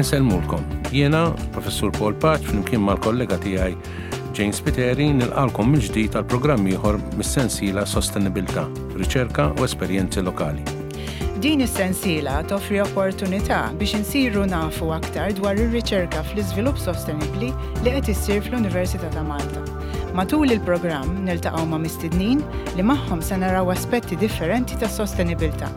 Insellmulkom. Jiena, Professur Paul Paċ, flimkien mal-kollega tiegħi Jane Spiteri, nilqalkom mill-ġdid għal programm ieħor mis-sensiela Sostenibilità, Riċerka u Esperjenzi Lokali. Din is-sensiela toffri opportunità biex insiru nafu aktar dwar ir-riċerka fl-iżvilupp sostenibbli li qed issir fl-Università ta' Malta. Matul il-programm niltaqgħu ma' mistednin li magħhom se naraw aspetti differenti tas-sostenibilità.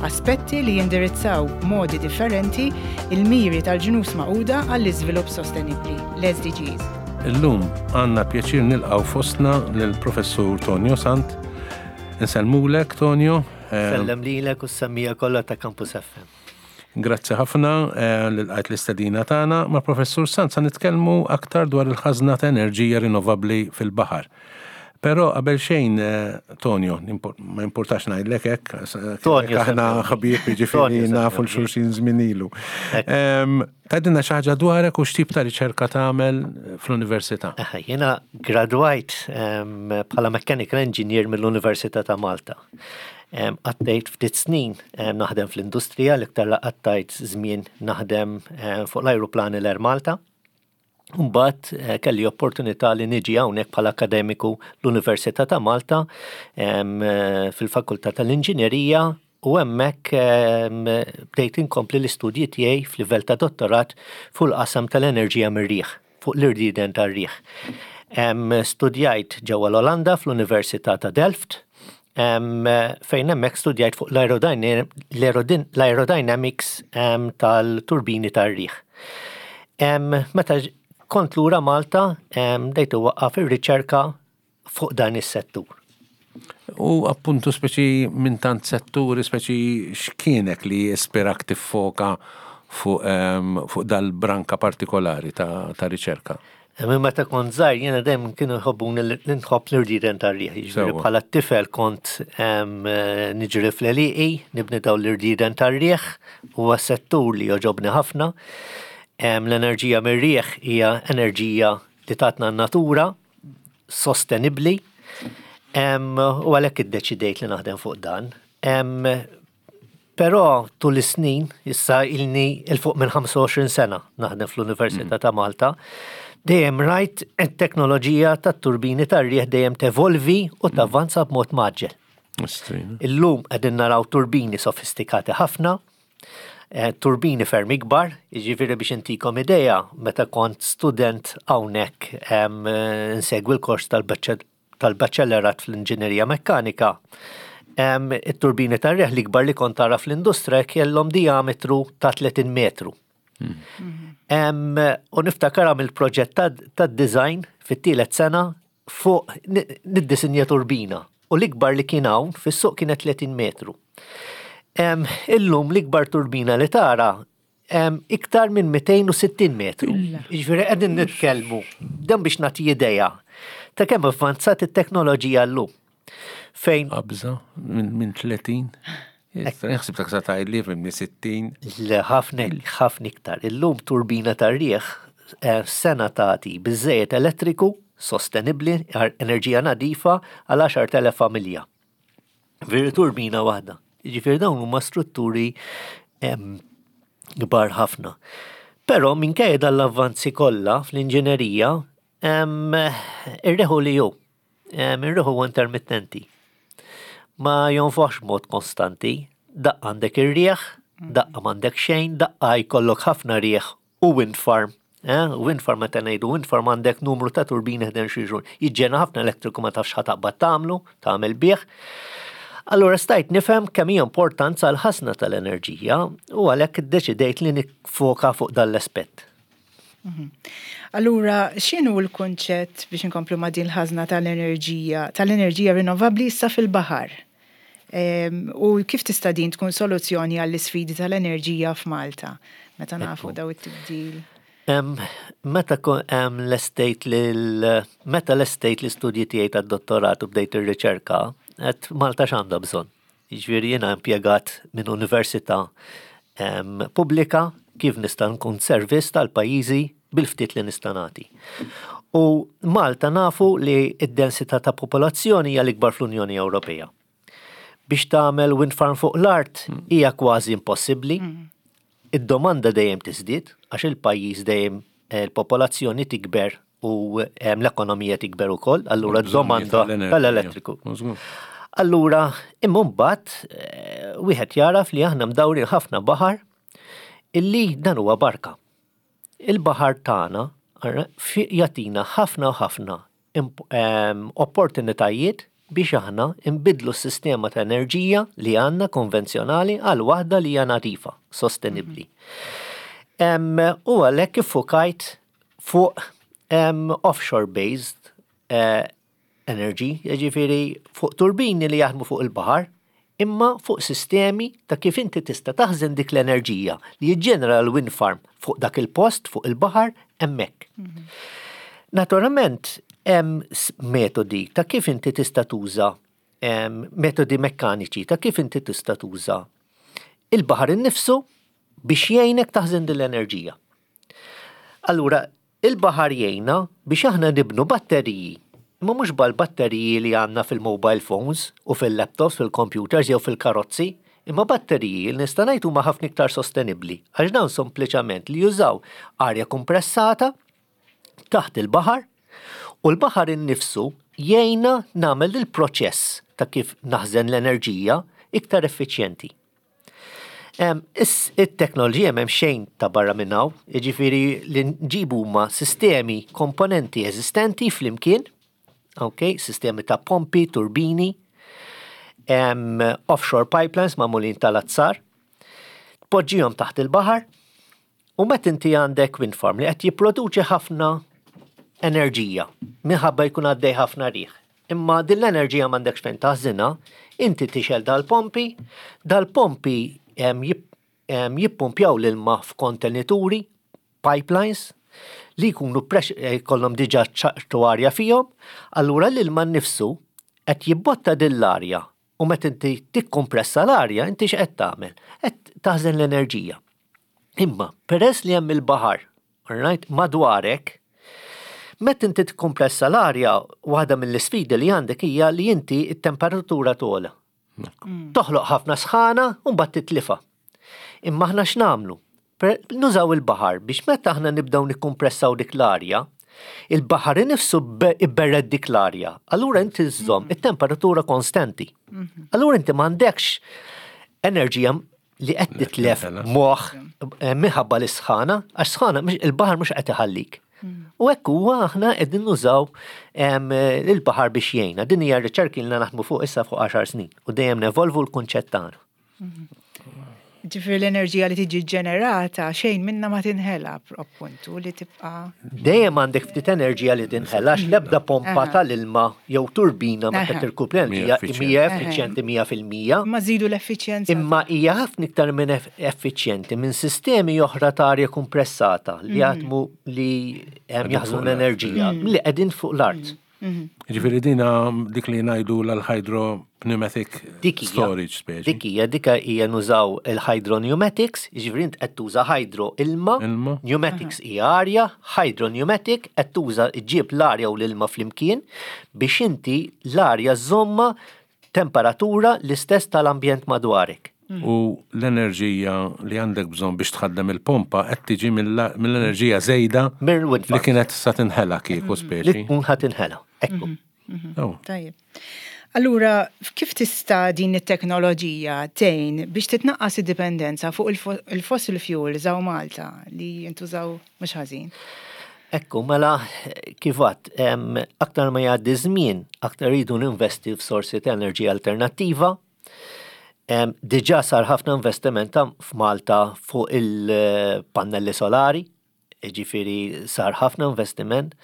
Aspetti li jindirizzaw b'modi differenti il-miri tal-Ġnus Magħquda għall-Iżvilupp Sostenibbli, l-SDGs. Illum għandna pjaċir nilqgħu fostna lill-Professur Tonio Sant. Insellmulek Tonio. Sellem lilek u s-semmija kollha ta' Campus FM. Grazzi ħafna eh, li lqajt l-istedina tagħna. Ma' Professur Sant sa nitkellmu aktar dwar il-ħażna ta' enerġija rinnovabbli fil-baħar. Però qabel xejn, eh, Tonio, ma importax ngħidlek hekk, Tonio, aħna ħbieb jiġifieri nafu l-xulxin żmien ilu. Tgħidilna xi ħaġa dwarek u x'tip ta' riċerka tagħmel fl-università. Jiena gradwajt bħala mechanical engineer mill-Università ta' Malta. Għaddejt ftit snin naħdem fl-industrija, l-iktar la qattajt żmien naħdem fuq l-ajruplani l-Air Malta. Mbagħad eh, kelli opportunità li niġi hawnhekk bħala akademiku l-Università ta' Malta eh, fil-Fakultà tal-Inġinerija u hemmhekk bdejt inkompli l-istudji tiegħi f'livell ta' dottorat fuq il-qasam tal-enerġija mir-riħ, fuq l-irdieden tar-riħ. Studjajt ġewwa l-Olanda fl-Università ta' Delft, fejn hemmhekk studjajt fuq l-aerodynamics tal-turbini tar-riħ. Meta kont lura Malta, bdejt iwaqqaf ir-riċerka fuq dan is-settur. U appuntu speċi minn tant setturi, speċi x'kienek li ispirak tiffoka fuq, fuq dal-branka partikolari ta', ta riċerka? Minn meta kont żgħir jiena dejjem kienu jħobbuni li nħobb l-irdieden tar-riħ. Jiġifieri bħala tifel kont niġri fl-għelieqi, nibni dawn l-irdieden tar-riħ, huwa settur li jogħġobni ħafna. L-enerġija mir-riħ hija enerġija li tatna n-natura, sostenibbli, u għalhekk iddeċidejt li naħdem fuq dan. Però tul is-snin, issa ilni 'il fuq minn 25 sena naħdem fl-Università ta' Malta, dejjem rajt it-teknoloġija tat-turbini tar-riħ dejjem tevolvi u tavvanza b'mod mgħaġġel. Illum qegħdin naraw turbini sofistikati ħafna, eh, turbini ferm ikbar, jiġifieri biex intikom idea, meta kont student hawnhekk nsegwi l-kors tal-baċellerat fl-inġinerija mekkanika, it-turbini tar-riħ l-ikbar li kont tara fl-industrija kellhom diametru ta' 30 metru. Hmm. U niftakar għamil proġett tad-design fit-tielet sena fuq niddisinja turbina u l-ikbar li kien hawn fis-suq kienet 30 metru. Illum l-ikbar turbina li tara iktar minn 260 metru. Jiġifieri qegħdin nitkellmu dan biex nagħti idea ta' kemm avvanzat it-teknoloġija llum. Fejn Qabża minn 30. Naħseb ta' sa tgħidli minn 60. Le ħafna ħafna iktar. Illum turbina tar-riħ eh, sena tagħti biżejjed elettriku sostenibbli, enerġija nadifa għal 10,000 familja. Veri turbina waħda. Jiġifieri dawn huma strutturi kbar ħafna. Però minkejja dan l-avvanzi kollha fl-inġinerija, ir-riħu li hu, ir-riħu huwa intermittenti. Ma jonfoħx b'mod konstanti. Daqqa għandek ir-riħ, daqqa m'għandek xejn, daqqa jkollok ħafna riħ u wind farm. Eh? Wind farm meta ngħidu wind farm għandek numru ta' turbini ħden xi Jiġġena ħafna elettriku ma tafx ħataqbad tagħmlu, tagħmel bih. Allura stajt nifhem kemm hija importanza l-ħasna tal-enerġija u għalhekk iddeċidejt li nifoka fuq dan l-aspett. Mhm. Allura, x'inhu l-kunċett biex inkomplu ma' din l-ħażna tal-enerġija, tal-enerġija rinnovabbli issa fil-baħar? U kif tista' din tkun soluzzjoni għall-isfidi tal-enerġija f'Malta, meta nafu daw it-tibdil? Meta lestejt meta lestejt l-istudji tiegħi tad-dottorat u bdejt ir-riċerka, għedt Malta x'għandha bżonn? Jiġifieri jiena impjegat minn università pubblika kif nista' nkun servizz tal-pajjiżi bil-ftit li nista' nagħti. U Malta nafu li d-densità ta' popolazzjoni hija l-ikbar fl-Unjoni Ewropea. Biex tagħmel wind farm fuq l-art hmm. hija kważi impossibbli. Hmm. id-domanda dejjem tiżdied għax il-pajjiż dejjem il-popolazzjoni tikber u l-ekonomija tikber ukoll, allura d-domanda tal-elettriku. Allura, imma mbagħad eh, wieħed jaraf li aħna mdawrin ħafna baħar illi dan huwa barka. Il-baħar tagħna jagħtina ħafna u ħafna opportunitajiet biex aħna nbiddlu s-sistema ta' enerġija li għandna konvenzjonali għal waħda li hija nadifa, sostenibbli. U għalhekk iffukajt fuq offshore based eh, energy, jiġifieri fuq turbini li jaħdmu fuq il-baħar, imma fuq sistemi ta' kif inti tista' taħżen dik l-enerġija li jiġġenera l-wind farm fuq dak il-post, fuq il-baħar, hemmhekk. Mhm. Naturalment, hemm metodi ta' kif inti tista' tuża metodi mekkaniċi ta' kif inti tista' tuża il-baħar innifsu biex jgħinek taħżen din l-enerġija. Allura, Il-baħar jgħinna biex aħna nibnu batteriji, imma mhux bħall-batteriji li għandna fil-mobile phones u fil-laptops, fil-computers jew fil-karozzi, imma batteriji li nista' ngħid huma ħafna iktar sostenibbli għax dawn sempliċament li jużaw arja kumpressata taħt il-baħar u l-baħar innifsu jgħinna nagħmel il-proċess ta' kif naħżen l-enerġija iktar effiċjenti. It-teknoloġija m'hemm xejn ta' barra minn hawn, jiġifieri li nġibu huma sistemi, komponenti eżistenti flimkien, ok, sistemi ta' pompi, turbini, offshore pipelines magħmulin tal-azzar, tpoġġihom taħt il-baħar, u meta inti għandek wind farm li qed jipproduċi ħafna enerġija minħabba jkun għaddej ħafna riħ. Imma din l-enerġija m'għandekx fejn taħżinha, inti tixgħel dal-pompi, dal-pompi jippumpjaw l-ilma f'kontenituri, pipelines, li jkunu jkollhom diġà ċertu arja fihom, allura l-ilma nnifsu qed jibbotta din l-arja u meta inti tikkompressa l-arja inti x'qed tagħmel? Qed taħżen l-enerġija. Imma peress li hemm il-baħar Alright, madwarek, meta inti tikkompressa l-arja, waħda mill-isfidi li għandek hija li inti t-temperatura togħla. Mm. Toħloq ħafna sħana u mbagħad titlifa. Imma aħna x'nagħmlu? Nużaw il-baħar biex meta aħna nibdew nikkompressaw dik l-arja, il-baħar innifsu ibberred dik l-arja. Allura inti żżomm mm. it-temperatura konstanti. Mm-hmm. Allura inti m'għandekx enerġija li qed titlef moħħ eh, minħabba l-isħana, għax sħana il-baħar mhux qed iħallik. Mm. U hekk huwa aħna qegħdin nużaw il-baħar biex jgħinna. Din hija riċerki li naħdmu fuq issa fuq 10 snin u dejjem nevolvu l-kunċett tagħna. Mm. Ġifieri l-enerġija li tiġi ġenerata xejn minna ma tinħela appuntu li tibqa'. Dejjem għandek ftit enerġija li tinħela għax l-ebda pompa tal-ilma jew turbina meta tirkupra enerġija hija effiċjenti 100%. Imma żidu l-effiċjenza. Imma hija ħafna iktar minn effiċjenti minn sistemi oħra ta' arja kumpressata li mhm. jaħdmu li jaħżnu l-enerġija mhm. li qegħdin fuq l-art. Mhm. Ġifieri dina dik li ngħidu l-hydropneumatic storage speċi. Dik hija dika hija nużaw il-hydropneumatics, jiġifieri int qed tuża hydro ilma, pneumatics hija arja, hydropneumatic qed tuża ġġib l-arja u l-ilma flimkien biex inti l-arja żżommha temperatura l-istess tal-ambjent madwarek. U l-enerġija li għandek bżonn biex tħaddem il-pompa qed tiġi mill-enerġija żejda li kienet sa tinħela kieku speċi. Li tkun ħa tinħela, ekku. Tajjeb. Allura, kif tista' din it-teknoloġija tgħin biex titnaqqas id-dipendenza fuq il-fossil fuels hawn Malta li jintużaw mhux ħażin? Ekku, mela, kif għadt, aktar ma jgħaddi żmien, aktar rridu ninvesti f'sorsi ta' enerġija alternattiva. Diġà sar ħafna investiment f'Malta fuq il-pannelli solari, Jiġifieri sar ħafna investiment.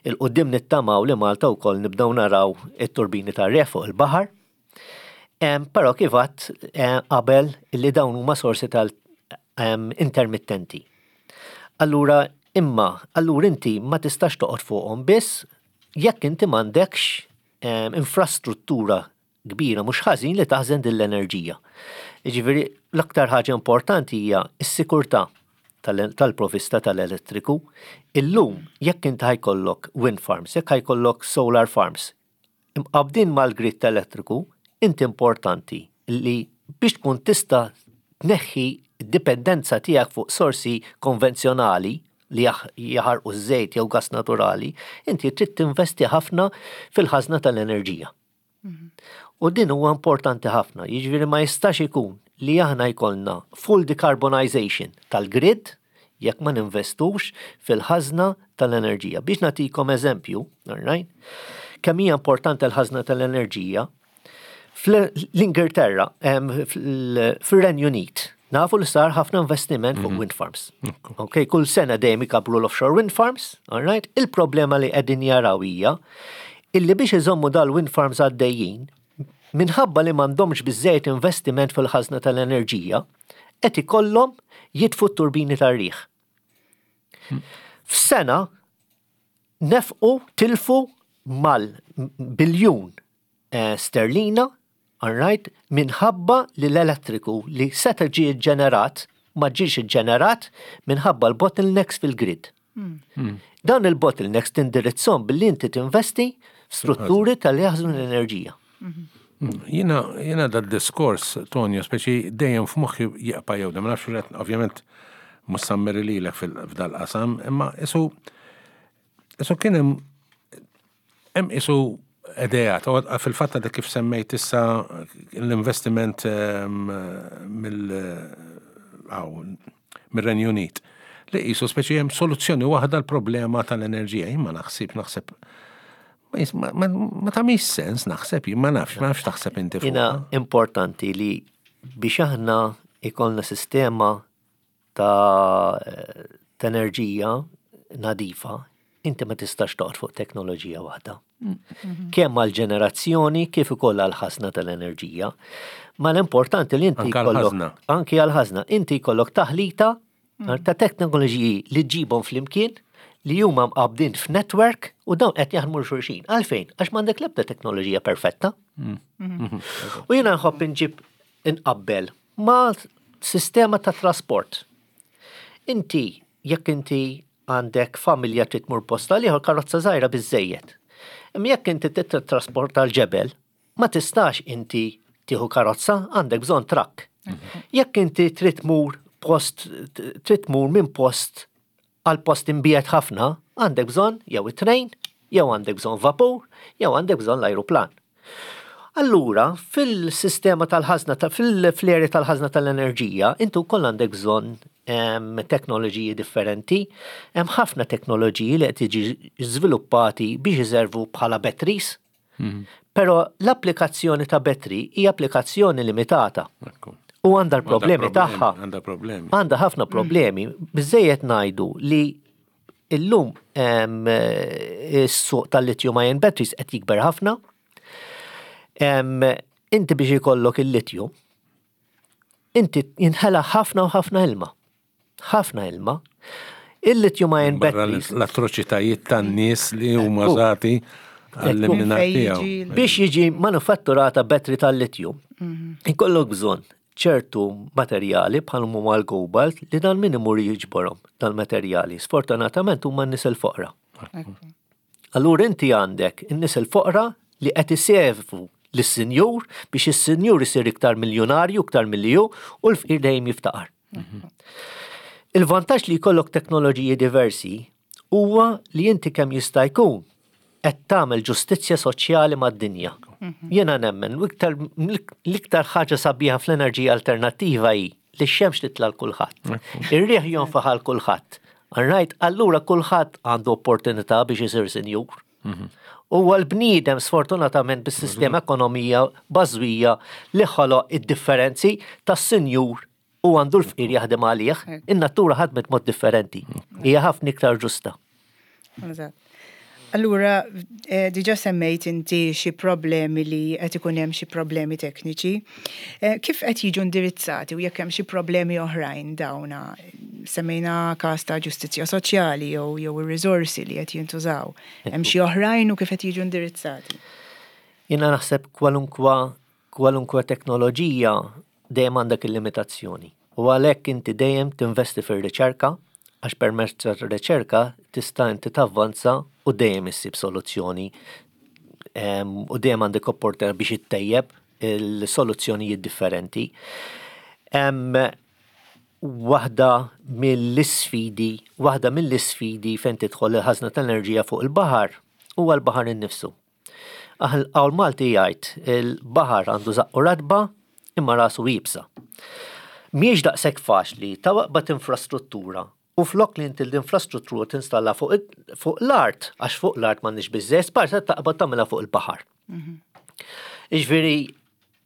Il quddiem nittamaw li Malta wkoll nibdew naraw it-turbini tar-riħ fuq il-baħar. Però kif għadt qabel li dawn huma sorsi tal intermittenti. Allura imma allura inti ma tistax toqgħod fuqhom biss jekk inti m'għandekx infrastruttura kbira mhux ħażin li taħżen din l-enerġija. Jiġifieri l-aktar ħaġa importanti hija s-sikurtà tal-provista tal-elettriku. Illum jekk inti ħajkollok wind farms, jekk ħajkollok solar farms, imqabbdin mal-grid elettriku, inti importanti li biex tkun tista' tneħħi id-dipendenza tiegħek fuq sorsi konvenzjonali li jaħarqu ż-żejt jew gas naturali, inti trid tinvesti ħafna fil-ħażna tal-enerġija. U din huwa importanti ħafna, jiġifieri ma jistax ikun li aħna jkollna full decarbonization tal-grid jekk ma ninvestux fil-ħażna tal-enerġija. Biex nagħtikom eżempju, right? Kemm hija importanti l-ħażna tal-enerġija, fl-Ingilterra, fil-Renju Unit, nafu li sar ħafna investiment fuq wind farms. Ok, kull sena dejjem ikabru l-offshore wind farms, all right? Il-problema li qegħdin jaraw hija illi biex iżommu dal-wind farms għaddejjin, minħabba li m'għandhomx biżejjed investiment fil-ħażna tal-enerġija, qed ikollhom jitfu t-turbini tar-riħ. F'sena nefqu tilfu mal-biljun sterlina, all right, minħabba li l-elettriku li seta ġie ġenerat ma ġiex iġġenerat minħabba l-bottlenecks fil-grid. Dan il-bottlenecks tindirizzhom billi inti tinvesti f'strutturi tal-jaħżnu l-enerġija. Jiena dad-diskors, Tonio, speċi dejjem f'moħħi jibqa' jew ma nafx ovvjament mhux sammeri lilek f'dal-qasam, imma isu isu kien hemm hemm isu idea, fil-fatt għadek kif semmejt issa l-investiment mill mir-Renju Unit li qisu speċi hemm soluzzjoni waħda l-problema tal-enerġija. Jien ma naħsib naħseb ma tagħmilx sens naħseb jien ma nafx, ma nafx taħseb inti fuq. Jiena importanti li biex aħna ikollna sistema ta' enerġija nadifa, inti ma tistax toqgħod fuq teknoloġija waħda. Kemm għal ġenerazzjoni kif ukoll għal ħażna tal-enerġija. Ma l-importanti li inti jkollok anki għal ħażna, inti jkollok taħlita ta' teknoloġiji li ġibhom flimkien li huma mqabdin f'network u dawn qed jaħdmu xulxin. Għalfejn? Għax m'għandek l-ebda teknoloġija perfetta. U jiena nħobb inġib inqabbel ma' sistema ta' trasport. Inti, jekk inti għandek familja trid tmur posta liħor karozza żgħira biżejjed. Imma jekk inti trid trasporta l-ġebel, ma tistax inti tieħu karozza, għandek bżonn trakk. Jekk inti trid tmur post, trid tmur minn post għal post imbiegħed ħafna, għandek bżonn jew it-trejn, jew għandek bżonn vapur, jew għandek bżonn l-ajruplan. Allura, fil-sistema tal-ħażna, fil-fleri tal-ħażna tal-enerġija, intu wkoll għandek bżonn teknoloġiji differenti. Hemm ħafna teknoloġiji li qed jiġi żviluppati biex iservu bħala batteries. Però l-applikazzjoni ta' battery hija applikazzjoni limitata. U għandha l-problemi tagħha. Għandha problemi. Għandha ħafna problemi. Biżejjed ngħidu li illum is-suq tal-lithium ion batteries qed jikber ħafna. Inti biex ikollok il-lithium, inti jinħela ħafna u ħafna ilma. Ħafna ilma. Il-lithium ion batteries. L-atroċitajiet tan-nies li huma użati għall-imminar tiegħu. Biex jiġi manufatturata battery tal-lithium, ikollok bżonn ċertu materjali bħal huma l-cobalt li dan min imur jiġborhom tal-materjali. Sfortunatament huma n-nies il-foqra. Allura inti għandek in-nies il-foqra li qed iservu lis-sinjur biex is-sinjur isir iktar miljonarju, iktar milli hu, u l-fqir dejjem jiftaqar. Il-vantaġġ li jkollok teknoloġiji diversi huwa li inti kemm jista' jkun qed tagħmel ġustizzja soċjali mad-dinja. Jiena nemmen l-iktar ħaġa sabiħa fl-enerġija alternattiva hi li x-xemx titla' l kulħadd. Ir-riħ jonfaħ għal kulħadd. Right, allura kulħadd għandu opportunità biex isir sinjur. U l-bniedem sfortunatament bis-sistema ekonomija bażwija li ħoloq id-differenzi tas-sinjur u għandu l-fqir jaħdem għalih, in-natura ħadmet mod differenti. Hija ħafna iktar ġusta. Allura, diġa semmejt inti xi problemi li qed ikun hemm xi problemi tekniċi. Kif qed jiġu indirizzati u jekk hemm xi problemi oħrajn dawna? Semmejna każ ta' ġustizzja soċjali jew jew ir-riżorsi li qed jintużaw. Hemm xi oħrajn u kif qed jiġu indirizzati? Jiena naħseb kwalunkwa kwalunkwe teknoloġija dejjem għandek il-limitazzjoni. U għalhekk inti dejjem tinvesti fir-riċerka, għax permezz tar-riċerka tista' inti tavvanza u dejjem issib soluzzjoni u dejjem għandek opportunità biex ittejjeb il-soluzzjonijiet differenti. Waħda mill-isfidi, waħda mill-isfidi fejn tidħol il-ħażna tal-enerġija fuq il-baħar huwa l-baħar innifsu. Qawl Malti jgħid il-baħar għandu żaqqu ratba imma rasu iebsa. Mhijiex daqshekk faċli taqbad infrastruttura u flok li inti l-infrastruttura tinstalla fuq l-art, għax fuq l-art m'għandniex biżżejjed spazju, taqbad tagħmilha fuq il-baħar. Jiġifieri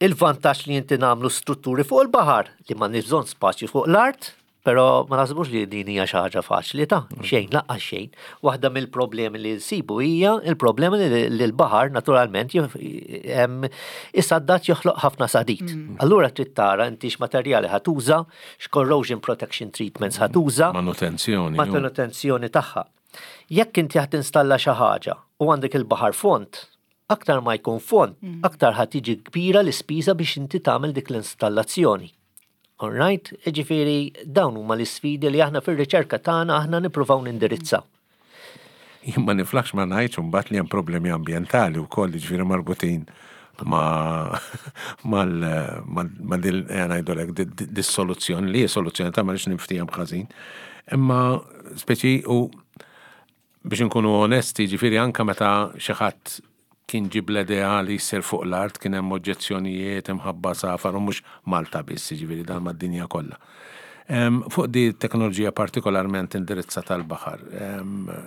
il-vantaġġ li inti nagħmlu strutturi fuq il-baħar li m'għandniex bżonn spazju fuq l-art, però ma naħsbux li din hija xi ħaġa faċli ta' xejn, lanqas xejn. Waħda mill-problemi li nsibu hija il-problema li l-baħar naturalment isaddat joħloq ħafna sadid. Allura trid tara inti x'materjali ħa tuża, x'corrosion protection treatments ħa tuża. Manutenzjoni. Manutenzjoni tagħha. Jekk inti ħa tinstalla xi ħaġa u għandek il-baħar fond, aktar ma jkun fond, aktar ħa tiġi kbira l-ispiża biex inti tagħmel dik l-installazzjoni. All right? Ġifieri dawn huma l-isfidi li aħna fir-riċerka tagħna aħna nippruvaw nindirizzaw. Jien ma niflaħx ma ngħidx imbagħad li hemm problemi ambjentali wkoll ġifieri marbutin ma mal ma dil ngħidulek dis-soluzzjoni li hi soluzzjoni ta' ma rridx niftiehem ħażin. Imma speċi u biex inkunu onesti, ġifieri anke meta xi ħadd kien ġib l-idea li jsir fuq l-art kien hemm oġġezzjonijiet imħabba safar u mhux Malta biss, ġifieri dan mad-dinja kollha. Fuq di teknoloġija partikolarment indirizzata tal-baħar.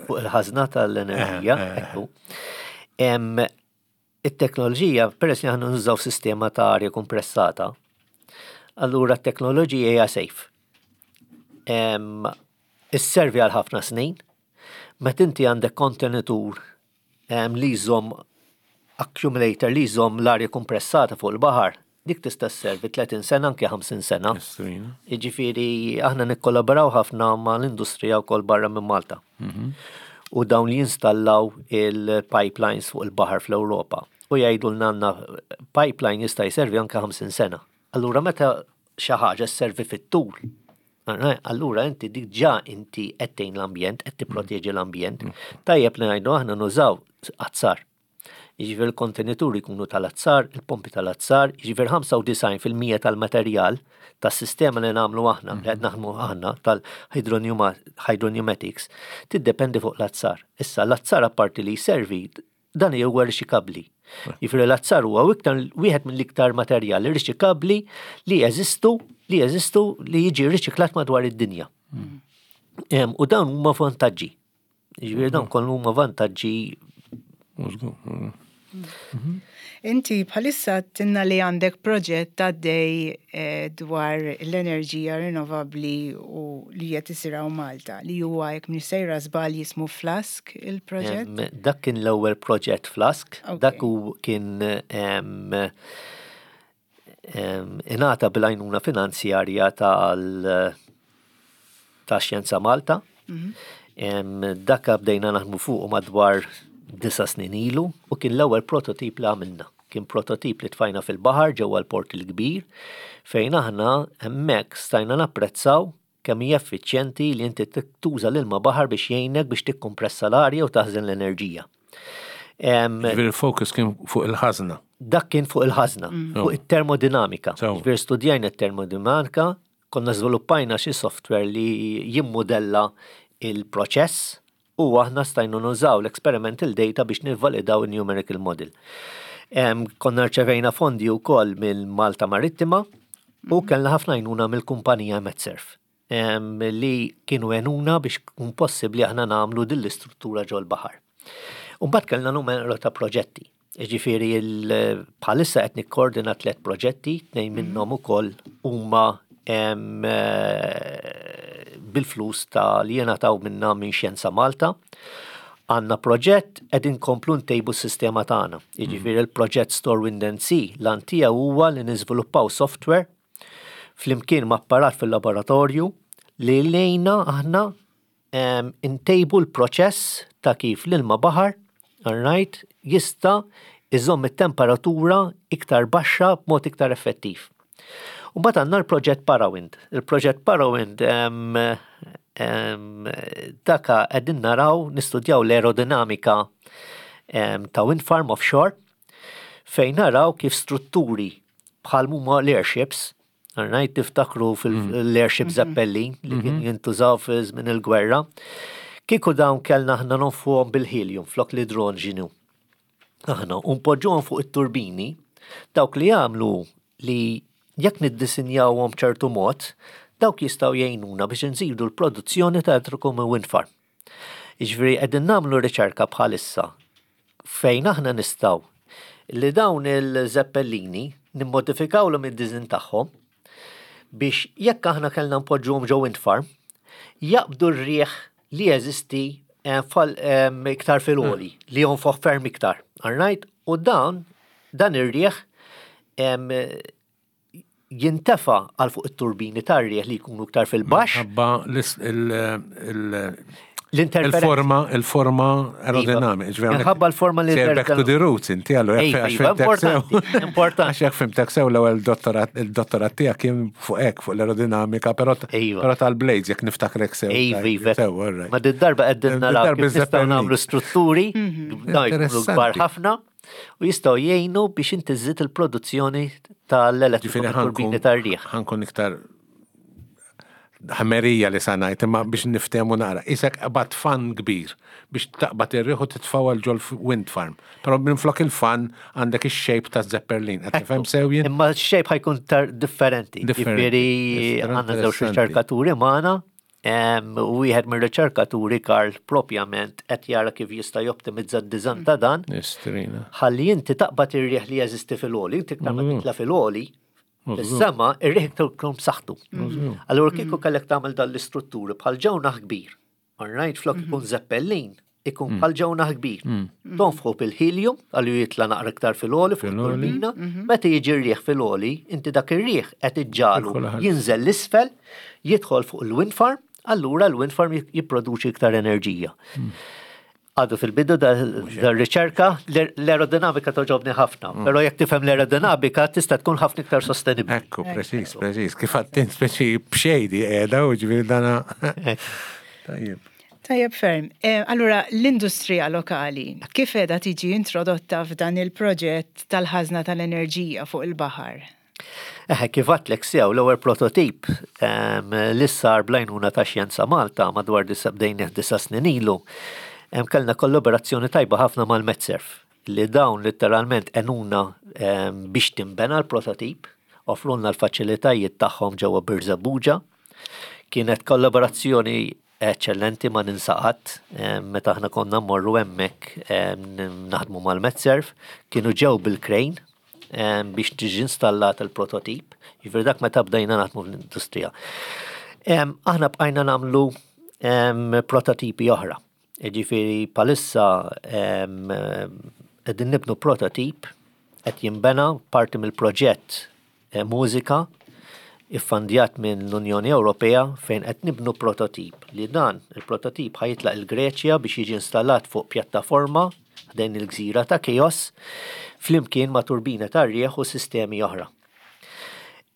Fuq il-ħażna tal-enerġija, ekku. It-teknoloġija, peress li aħna nużaw sistema ta' arja kompressata, allura t-teknoloġija hija safe. Isservi għal ħafna snin, meta inti għandek kontenitur li jżomm accumulator li jżomm l-arja kompressata fuq il-baħar, dik tista' sservi 30 sena anke 50 sena. Jiġifieri aħna nikkollaboraw ħafna mal-industrija wkoll barra minn Malta. U dawn li jinstallaw il-pipelines fuq il-baħar fl-Ewropa. U jgħidulna għandna pipeline jista' jservi anke 50 sena. Allura meta xi ħaġa sservi fit-tul, allura inti dik ġa inti qed tgħin l-ambjent, qed tipproteġi l-ambjent. Tajjeb li ngħidu aħna nużaw azzar. Jiġifieri l-kontenituri jkunu tal-azzar, il-pompi tal-azzar, jiġifieri 95% tal-materjal tas-sistema li nagħmlu aħna, li qed naħdmu aħna tal-hydropneumatics, tiddependi fuq l-azzar. Issa l-azzar apparti li jservi dan huwa riċikabbli. Jiġifieri l-azzar huwa iktar wieħed mill-iktar materjali riċikabbli li jeżistu li jeżistu li jiġi riċiklat madwar id-dinja. U dawn huma vantaġġi. Jiġifieri dawn kollu huma vantaġġi. Inti bħalissa tinna li għandek proġett għaddej dwar l-enerġija rinnovabbli u li qed isir hawn Malta, li huwa jekk mhix sejra żball jismu Flask il-proġett? Dak kien l-ewwel proġett Flask, dak hu kien ingħata bil-għajnuna finanzjarja tal ta' Xjenza Malta. Dak bdejna naħdmu fuq madwar 9 snin ilu u kien l-ewwel prototip li għamilna. Kien prototip li tfajna fil-baħar ġewwa l-Port il-Kbir fejn aħna hemmhekk stajna napprezzaw kemm hija effiċjenti li inti tuża l-ilma baħar biex jgħinek biex tikkompressa l-arja u taħżen l-enerġija. Ġifieri il-focus kien fuq il-ħażna. Dak kien fuq il-ħażna, fuq it-termodinamika. Ġifieri studjajna t-termodinamika, konna żviluppajna xi software li jimmodella il-proċess u aħna stajna nużaw l-experimental data biex nivvalidaw il-numerical model. Konna rċevejna fondi wkoll mill-Malta Marittima u kellna ħafna għajnuna mill-kumpanija Medserv li kienu għenuna biex kun possibbli aħna nagħmlu din l-istruttura ġol-baħar. U mbagħad kellna numru ta' proġetti. Ġifieri bħalissa qed nikkoordina 3 proġetti, 2 minnhom ukoll huma bil-flus ta' li jingħataw minna minn Xjenza Malta. Għandna proġett qed inkomplu ntejbu s-sistema tagħna. Jiġifieri l-proġett Store Wind and Sea l-għan tiegħu huwa li niżviluppaw software flimkien ma' apparat fil-laboratorju li lejna aħna intejbu l-proċess ta' kif l-ilma baħar, all right, jista' iżomm it-temperatura iktar baxxa b'mod iktar effettiv. U mbagħad għandna l-proġett Parawind. Il-proġett Parawind daka qegħdin naraw nistudjaw l-aerodinamika ta' wind farm offshore fejn naraw kif strutturi bħal huma l-airships. Alright, tiftakru fil-airship Zeppelin li kien jintużaw fi żmien il-gwerra. Kieku dawn kellna aħna nonfuhom bil-helium flok l-idroġenu. Aħna u npoġġuhom fuq it-turbini, dawk li jagħmlu li jekk niddisinjawhom ċertu mod, dawk jistgħu jgħinuna biex nżidu l-produzzjoni ta' elettriku minn wind farm. Jiġifieri qegħdin nagħmlu riċerka bħalissa fejn aħna nistgħu li dawn il-zeppellini nimmodifikawlhom id-design tagħhom biex jekk aħna kellna npoġġuhom ġo wind farm, jaqbdu r-riħ li jeżisti eh, eh, iktar fil-għoli, hmm. li jonfoħ ferm iktar. All U dan, dan ir-riħ jintefa' għal fuq it-turbini tar-riħ li jkunu iktar fil-baxx. Minħabba l-forma il-forma aerodinamika. Iva. Minħabba l-forma li. Back to the roots, inti għallu. Iva, iva, importanti. Importanti. Għax jekk fimtek sew l-ewwel il-dottorat tiegħek kien fuq hekk fuq l-aerodinamika, però iva. tal-blades jekk niftakrek sew. Iva, iva. Ma d-darba qegħdin naraw kif nistgħu nagħmlu strutturi, mhm. dawn jkunu kbar ħafna. U jistgħu jgħinu biex inti żżid il-produzzjoni tal-elettriku turbini tar-riħ. Ħankun iktar ħmerija li sanajt, imma biex niftehmu naqra. Isek qbad fan kbir biex taqbad ir-riħ u titfgħu għal ġol wind farm. Però minflok il-fan għandek ix-shape ta' Zeppelin. Qed nifhem sew jien? Imma x-shape ħajkun differenti. Ġifieri għandna żewġ riċerkaturi magħna U wieħed mir-riċerkaturi Karl propjament qed jara kif jista' joptimizza d-diżan ta' dan. Ħalli inti taqbad ir-riħ li jeżisti fil-għoli, inti iktar ma mm. titla' fil-għoli, is-sema ir-riħ iktar tkun b'saħħtu. Mm. Allura kieku mm. kellek tagħmel dan l-istrutturi bħal ġewnaħ kbir. Alright, flok ikun zeppellin, ikun mm. bħal ġewnaħ kbir. Mm. Tonfħu bil-helium, għallu jitla naqra iktar fil-oli fuq turbina, mhm. meta jiġi r-riħ fil-oli, inti dak ir-riħ qed iġġalu jinżel l-isfel, jidħol fuq il-wind farm, allura l-wind farm jipproduċi iktar enerġija. Mm. Għadu fil-bidu dar-riċerka, l-aerodinamika toġobni ħafna, mm. pero jekk tifhem l-aerodinamika tista' tkun ħafna iktar sostenibbli. Ekku, preċiż, preċiż. Kif għattin speċi b'xejdi qiegħda u ġifieri dana. Tajjeb. Tajjeb ferm. Eh, allura, l-industrija lokali, kif qiegħda tiġi introdotta f'dan il-proġett tal-ħażna tal-enerġija fuq il-baħar? Eħe, kif għatlek sew l-ewwel prototip li sar blajnuna ta' Xjenza Malta madwar bdejnih disa' snin ilu, kellna kollaborazzjoni tajba ħafna mal-Medserv li dawn litteralment għenuna biex tinbena l-prototip, offrulna l-faċilitajiet tagħhom ġewwa Birżebbuġa. Kienet kollaborazzjoni eċċellenti ma ninsa qatt meta aħna konna mmorru hemmhekk naħdmu mal-Medserv, kienu ġew bil-crane biex tiġi installat il-prototip, jiġifieri dak meta bdejna naħdmu fl-industrija. Aħna bqajna nagħmlu prototipi oħra. Jiġifieri bħalissa qegħdin nibnu prototip qed jinbena parti mill-proġett eh, mużika iffandjat minn l-Unjoni Ewropea fejn qed nibnu prototip li dan il-prototip ħajitlaq il-Greċja biex jiġi installat fuq pjattaforma ħdejn il-gżira ta' Chios flimkien ma' turbina tar-riħ u sistemi oħra.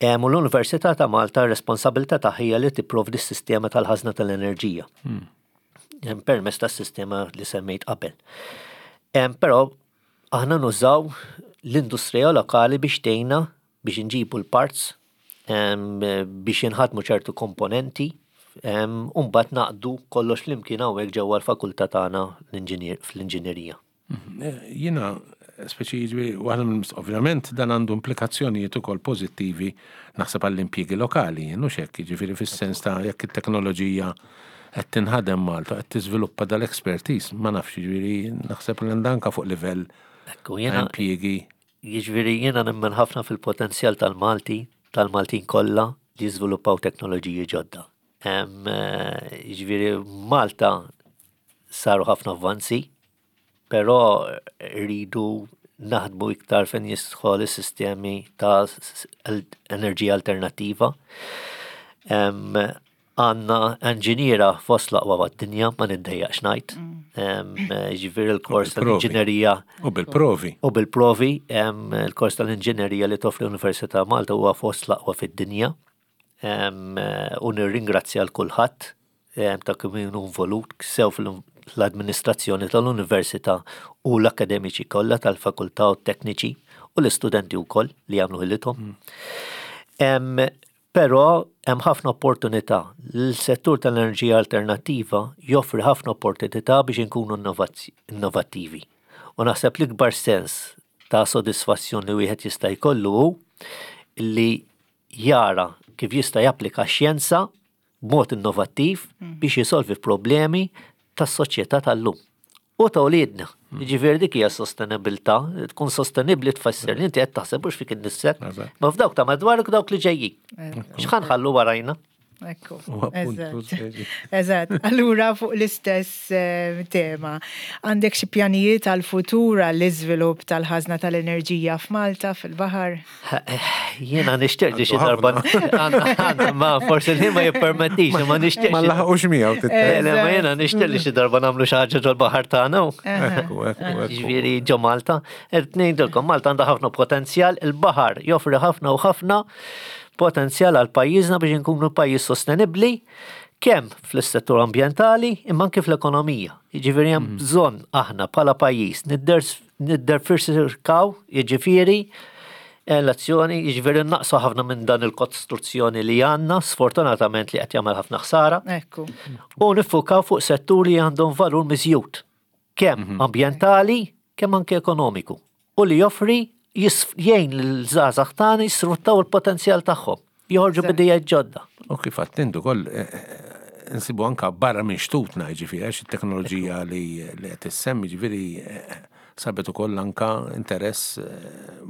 U l-Università ta' Malta r-responsabilità tagħha hija li tipprovdi s-sistema tal-ħażna tal-enerġija. Hmm. Permezz tas-sistema li semmejt qabel. Però aħna nużaw l-industrija lokali biex tgħinna biex inġibu l-parts biex jinħadmu ċertu komponenti u mbagħad naqdu kollox flimkien hawnhekk ġewwa l-fakultà tagħna fl-inġinerija. Mhm. Eh, jiena speċi jiġri waħda minn ovvjament dan għandu implikazzjonijiet ukoll pożittivi naħseb għall-impjiegi lokali, jien hekk, jiġifieri fis-sens ta' jekk it-teknoloġija qed tinħadem Malta, qed tiżviluppa dal-expertise, ma nafx jiġifieri naħseb li anka fuq livell impjiegi. Jiġifieri jiena nemmen ħafna fil-potenzjal tal-Malti, tal-Maltin kollha li jiżviluppaw teknoloġiji ġodda. Jiġifieri Malta saru ħafna avvanzi, però rridu naħdmu iktar fejn jidħol is-sistemi ta' enerġija alternattiva. Għandna enġiniera fost l-aqwa mad-dinja, ma niddejjaqx ngħid. Mm. Ġifieri l-kors tal-inġinerija. U bil-provi. U bil-provi, il-kors tal-inġinerija li toffri l-Università Malta huwa fost l-aqwa fid-dinja. U nirringrazzja l kulħadd ta' kemm kienu involut sew fl-amministrazzjoni tal-Università u l-akademiċi kollha tal-fakultà u t-tekniċi u l-istudenti wkoll li jagħmlu ħilithom. Mm. Però hemm ħafna opportunità. L-settur tal-enerġija alternattiva joffri ħafna opportunità biex inkunu innovattivi. U naħseb l-ikbar sens ta' sodisfazzjon li wieħed jista' jkollu hu li jara kif jista' japplika x-xjenza b'mod innovattiv biex jisolvi problemi tas-soċjetà tal-lum u ta' uliedna. Jiġifieri dik hija sostenibilità, tkun sostenibbli tfisser li inti qed taħseb mhux fik innifsek, ma f'dawk ta' madwarek u dawk li ġejjin. X'ħa nħallu warajna? Ekku. Eżatt. Allura fuq l-istess eh, tema. Għandek xi pjanijiet għal-futur għall-iżvilupp tal-ħażna tal-enerġija f'Malta fil-baħar? Jiena nixtieq li xi darba ma forsi li ma jippermettix, ma nixtieq. Ma laħqux miegħu eh, Le, ma jiena nixtieq li xi darba nagħmlu xi ħaġa ġol-baħar tagħna. Ġifieri ġo Malta. Qed ngħidilkom Malta għandha ħafna potenzjal, il-baħar joffri ħafna u ħafna potenzjal għal pajjiżna biex inkunu pajjiż sostenibbli kemm fl-settur ambjentali imma anke fl-ekonomija. Jiġifieri hemm mm. bżonn aħna bħala pajjiż Nidderfisirkaw, jiġifieri, l-azzjoni, jiġifieri naqsu ħafna minn dan il-kostruzzjoni li għandna, sfortunatament li qed jagħmel ħafna ħsara. Ekku. U niffukaw fuq setturi li għandhom valur miżjud, kemm mhm. ambjentali, kemm anke ekonomiku. U li joffri jgħin l-żgħażagħ tagħna jisfruttaw il-potenzjal tagħhom. Joħorġu bidejja ġodda. U kif għadt int ukoll eh, eh, nsibu anka barra minn xtutna ġifieri għax it-teknoloġija li qed issemmi ġifieri eh, sabet ukoll anka interess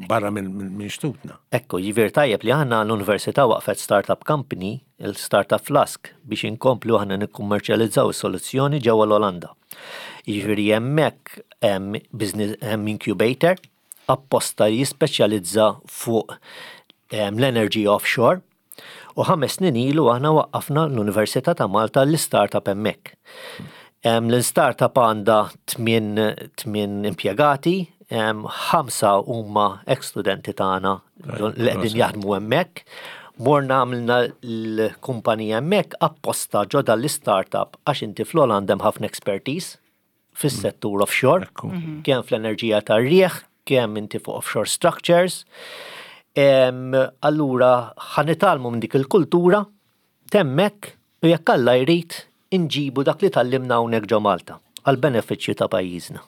barra minn xtutna. Ekku, ġifieri tajjeb li aħna l-università waqfet startup company, il-Startup Flask, biex inkomplu aħna nikkummerċjalizzaw is-soluzzjoni ġewwa l-Olanda. Jiġifieri hemmhekk hemm business hemm incubator apposta li jispeċjalizza fuq ehm, l-energy offshore u ħames snin ilu aħna waqqafna l-Università ta' Malta l-startup hemmhekk. Ehm, l-startup għandha tmien impjegati, ehm, ħamsa huma ex-studenti tagħna li qegħdin jaħdmu hemmhekk. Morna għamilna l-kumpanija hemmhekk apposta ġo l-startup għax inti fl-Olanda hemm ħafna expertise fis-settur offshore, mhm. kemm fl-enerġija tar-riħ, kemm inti fuq offshore structures. Allura ħa nitgħallmu minn dik il-kultura temmek u jekk Alla jrid inġibu dak li tgħallimna hawnhekk ġo Malta għal benefiċċju ta' pajjiżna.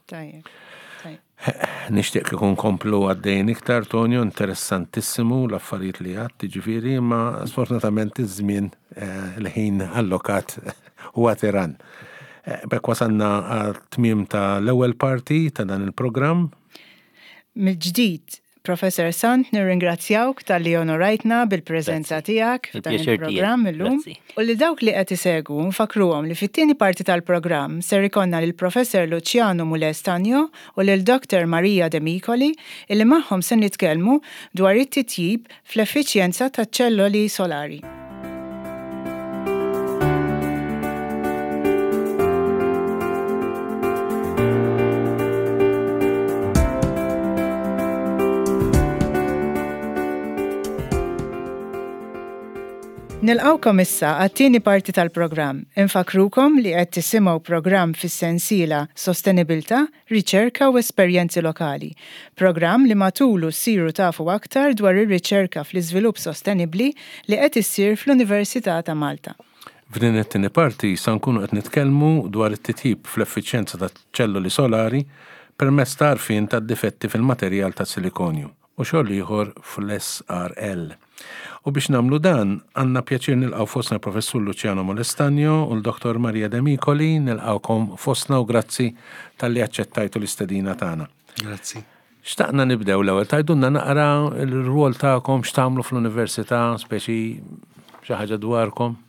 Nixtieq kieku nkomplu għaddejjin iktar, Tonio, interessantissimu l-affarijiet li għadt, jiġifieri, imma sfortunatament iż-żmien eh, l-ħin allokat huwa tiran. Eh, B'hekk wasalna għat-tmiem ta' l-ewwel parti ta' dan il-programm. Mill-ġdid, Professor Sant nirringrazzjawk talli onorajtna bil-preżenza tiegħek f'dan il-programm illum. U lil dawk li qed isegwu nfakkruhom li fit-tieni parti tal-programm ser ikollna lil Professor Luciano Mulè Stagno u lil Doctor Maria Demicoli illi magħhom se nitkellmu dwar it-titjib fl-effiċjenza taċ-ċelloli solari. Nilqgħukom issa għat-tieni parti tal-programm. Infakkrukom li qed tisimgħu programm fis-sensiela Sostenibilità, Riċerka u Esperjenzi Lokali. Programm li matulu ssiru tafu aktar dwar ir-riċerka fl-iżvilupp sostenibbli li qed issir fl-Università ta' Malta. F'din it-tieni parti sa nkunu qed nitkellmu dwar it-titjib fl-effiċjenza taċ-ċelloli solari permezz ta' għarfien tad-difetti fil-materjal tas-silikonju u xogħol ieħor fl-SRL. U biex nagħmlu dan, għandna pjaċir nilqgħu fostna l-Professur Luciano Molestagno u l-Dottor Maria Demicoli, nilqgħukom fostna u grazzi talli aċċettajtu l-istedina tagħna. Grazzi. Xtaqna nibdew l-ewwel tgħidulna naqra l-rwol tagħkom x'tagħmlu fl-università, speċi xi ħaġa dwarkom.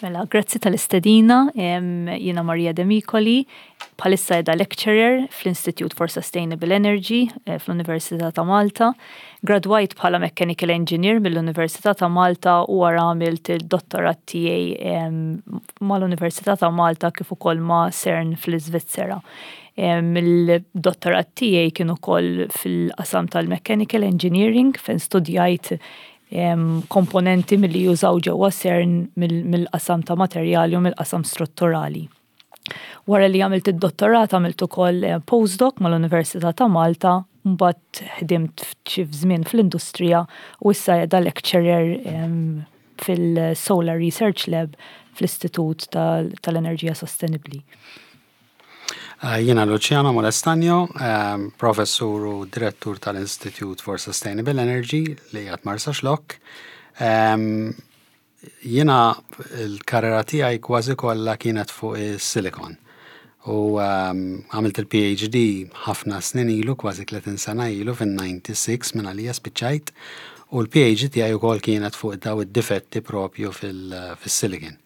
Mela, grazzi tal-istedina, jiena Maria Demicoli, bħalissa edha lecturer fl-Institute for Sustainable Energy eh, fl-Università ta' Malta. Gradwajt bħala Mechanical Engineer mill-Università ta' Malta u wara għamilt il-dottorat tiegħi mal-Università ta' Malta kif ukoll ma' CERN fl-Iżvizzera. Il-dottorat tiegħi kien ukoll fil-qasam tal-Mechanical Engineering fejn studjajt komponenti milli jużaw ġewwa CERN mill-qasam ta' materjali u mill-qasam strutturali. Wara li għamilt id-dottorat għamilt ukoll eh, postdoc mal-Università ta' Malta Mbagħad ħdimt xi żmien fl-industrija u issa qiegħda lecturer fil-Solar Research Lab fl-Istitut tal-Enerġija Sostenibbli. Jiena Luciano Molestagno, professur u direttur tal-Institute for Sustainable Energy li qiegħed Marsaxlokk. Jiena l-karriera tiegħi kważi kollha kienet fuq is-silicon. U għamilt il-PhD ħafna snin ilu, kważi 30 sena ilu, fin-96 minn għalija spiċċajt. U l-PhD tiegħi wkoll kienet fuq daw id-difetti propju fil-silicon.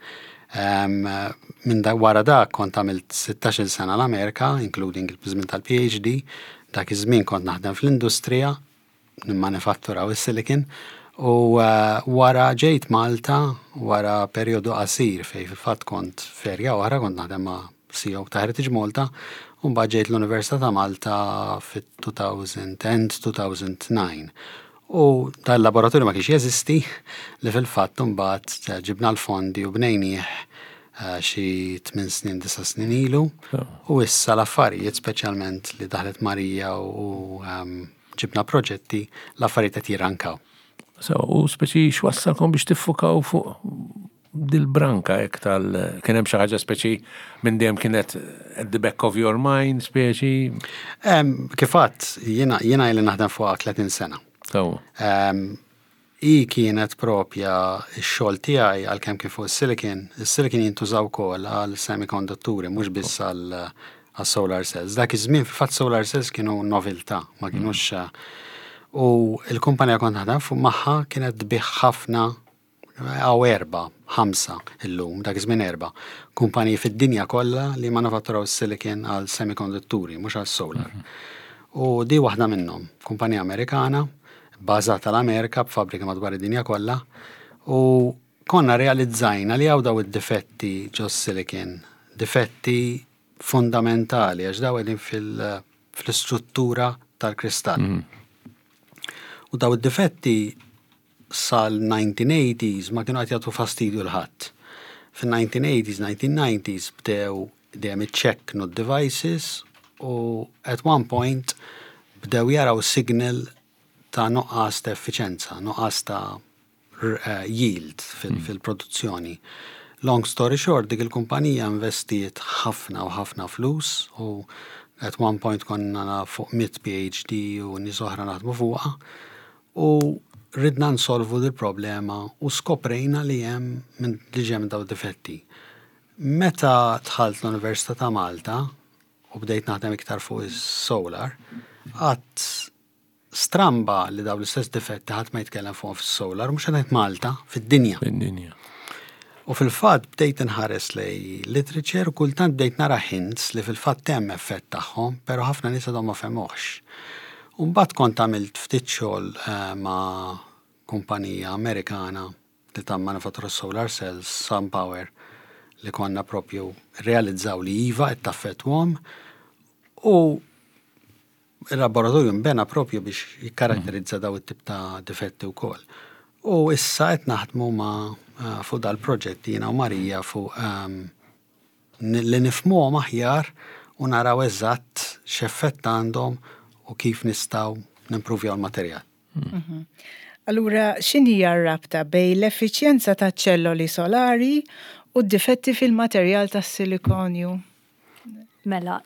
Minn da wara dak kont għamilt 16 sena l-Amerika, including il-żmien tal-PhD. Dak iż-żmien kont naħdem fl-industrija, nimmanifatturaw is-silicon. U wara ġejt Malta wara perjodu qasir fej fil-fatt kont f'erja oħra, kont naħdem ma' CEO ta' Heritage Malta, u mbagħad ġejt l-Università ta' Malta fit-2010 2009. U dal-laboratorju ma kienx jeżisti, li fil-fatt mbagħad ġibna l-fondi u bnejnieh xi 8 snin, 9 snin ilu. U issa l-affarijiet, speċjalment li daħlet Marija u ġibna proġetti, l-affarijiet qed jirrankaw. So, u speċi x'wassalkom biex tiffukaw fuq dil-branka hekk tal kien hemm xi ħaġa speċi minn dejjem kienet at the back of your mind speċi? Kif għedt, jiena ili naħdem fuqha 30 sena. I kienet propja x-xogħol tiegħi, għalkemm kien fuq is-silicon, is-silicon jintużaw ukoll għal semikondutturi, mhux biss għal solar cells. Dak iż-żmien fil-fatt solar cells kienu noveltà, ma kienux. U l-kumpanija kont naħdem fuq magħha kienet tbigħ ħafna, għaw erba, ħamsa illum, dak iż-żmien erba', kumpaniji fid-dinja kollha li manifatturaw silicon għal semikondutturi, mhux għal solar. U di waħda minnhom, kumpanija Amerikana, bbażata l-Amerika b'fabbrika madwar id-dinja kollha, u konna realizzajna li hawn daw id-difetti ġo silicon, difetti fundamentali, għax daw qegħdin fil-istruttura tal-kristall. U daw id-difetti sal-1980s ma kienu qed jagħtu fastidju 'l ħadd. Fin-1980s, 1990s bdew dejjem iċċekknu devices u at one point bdew jaraw signal ta' nuqqas ta' effiċenza, nuqqas ta' yield fil-produzzjoni. Long story short, dik il-kumpanija investiet ħafna u ħafna flus u at one point konna fuq 100 PhD u nies oħra naħdmu fuqha u ridna nsolvu dil-problema u skoprejna li hemm minn li ġem daw difetti. Meta dħalt l-Università ta' Malta u bdejt naħdem iktar fuq is-solar, għedt stramba li daw l-istess difetti ħadd ma jitkellem fuq fis-solar, mhux qed Malta, fid-dinja. Fid-dinja. U fil-fatt bdejt inħares lej literature u kultant bdejt nara hints li fil-fatt hemm effett tagħhom, però ħafna nies għadhom ma fehmuhx. U mbagħad kont għamilt ftit xogħol ma' kumpanija Amerikana li ta' manifattura solar cells, SunPower, li konna propju realizzaw li iva qed taffettwahom u il-laboratorju nbena propju biex jikkaratterizza daw it-tip ta' difetti wkoll. U issa qed naħdmu ma' fuq dal-proġett jiena u Marija fuq li nifhmuhom aħjar u naraw eżatt x'effett għandhom u kif nistgħu nimpruvjaw l-materjal. Allura, x'inhija r-rabta bejn l-effiċjenza ta' ċelloli solari u d-difetti fil-materjal tas-silikonju? Mela,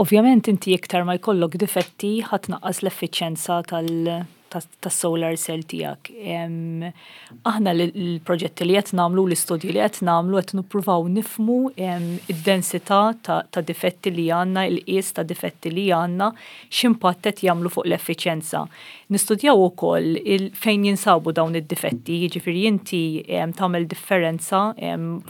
ovvjament inti iktar ma jkollok difetti, ħa tnaqqas l-effiċjenza tas-solar cell tiegħek. Aħna l-proġetti li qed nagħmlu, l-istudji li qed nagħmlu, qed nippruvaw nifhmu id-densità ta' difetti li għandna, il-qies ta' difetti li għandna, x'impatt qed jagħmlu fuq l-effiċjenza. Nistudjaw ukoll fejn jinsabu dawn id-difetti, jiġifieri inti tagħmel differenza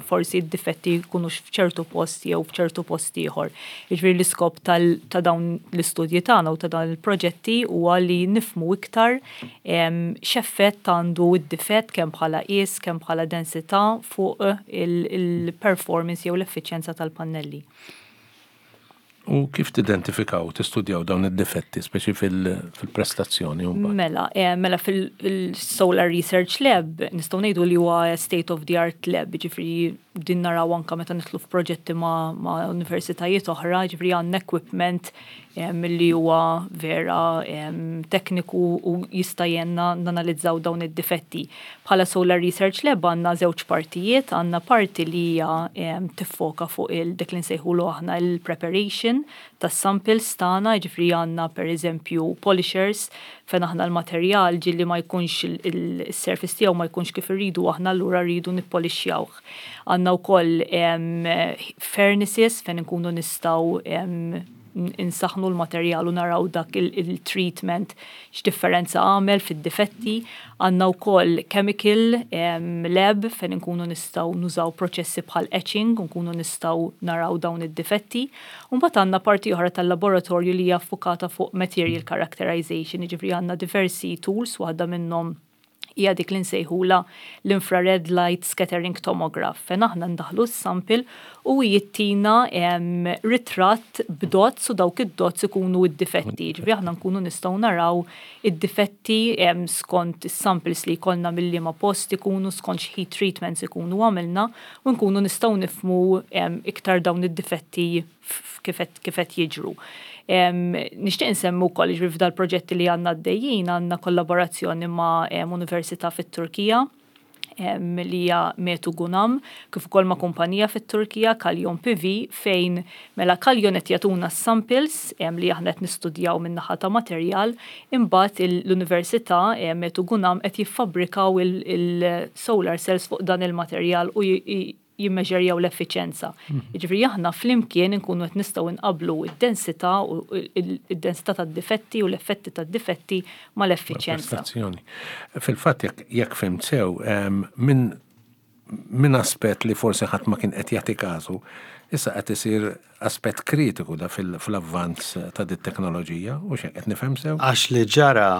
forsi d-difetti jkunux f'ċertu post jew f'ċertu post ieħor. Jiġifieri l-iskop ta' dawn l-istudji tagħna u ta' dawn il-proġetti huwa li nifhmu iktar x'effett għandu d-difett kemm bħala qies, kemm bħala densità fuq il-performance jew l-effiċjenza tal-pannelli. U kif tidentifikaw, tistudjaw dawn id-difetti, speċi fil-prestazzjoni? Mela, fil-Solar Research Lab nistgħu ngħidu li huwa state of the art lab, ġifieri din naraw anka meta nidħlu f'proġetti ma' universitajiet oħra, ġifieri għandna equipment. Li huwa vera tekniku u jista' jgħinna nanalizzaw dawn id-difetti. Bħala Solar Research Lab għandna żewġ partijiet, għandna parti li hija tiffoka fuq il dik li nsejħulu aħna il-preparation tas-samples tagħna, jiġifieri għandna pereżempju polishers fejn aħna l-materjal ġieli ma jkunx il-surface tiegħu ma jkunx kif irridu aħna, allura rridu nippolixxjawh. Għandna wkoll furnaces fejn inkunu nistgħu insaħnu l-materjal u naraw dak il-treatment x'differenza għamel fid-difetti. Għandna wkoll chemical lab fejn inkunu nistgħu nużaw proċessi bħal etching u nkunu nistgħu naraw dawn id-difetti. U mbagħad għandna parti oħra tal-laboratorju li hija ffukata fuq material characterization, jiġifieri għandna diversi tools, waħda minnhom hija dik li nsejħula l-infrared light scattering tomograph, fejn aħna ndaħlu s-sample u jittina ritratt b'dots u dawk id-dots ikunu id-difetti. Ġifieri aħna nkunu nistgħu naraw id-difetti skont is-samples li jkollna mill-liema post ikunu, skont x'heat treatments ikunu għamilna, u nkunu nistgħu nifhmu iktar dawn id-difetti kif qed jiġru. Nixtieq insemmu wkoll, jiġifieri f'dal proġetti li għandna għaddejjin, għandna kollaborazzjoni ma' università fit-Turkija li hija Metu Gunam, kif ukoll ma' kumpanija fit-Turkija, Kalyon PV, fejn mela Kalyon qed jagħtuna samples li aħna qed nistudjaw min-naħa ta' materjal, imbagħad l-Università Metu Gunam qed jiffabbrikaw il-solar cells fuq dan il-materjal u jimmeġerjaw l-effiċenza. Jiġifieri aħna flimkien inkunu qed nistgħu nqablu id-densità u id-densità tad-difetti u l-effetti tad-difetti mal-effiċenza. Prestazzjoni. Fil-fatt, jekk fhimt sew, minn aspett li forsi ħadd ma kien qed jagħti każu, issa qed isir aspett kritiku da fil-avvanz ta' dit teknoloġija, u x'hekk qed nifhem sew? Għax li ġara,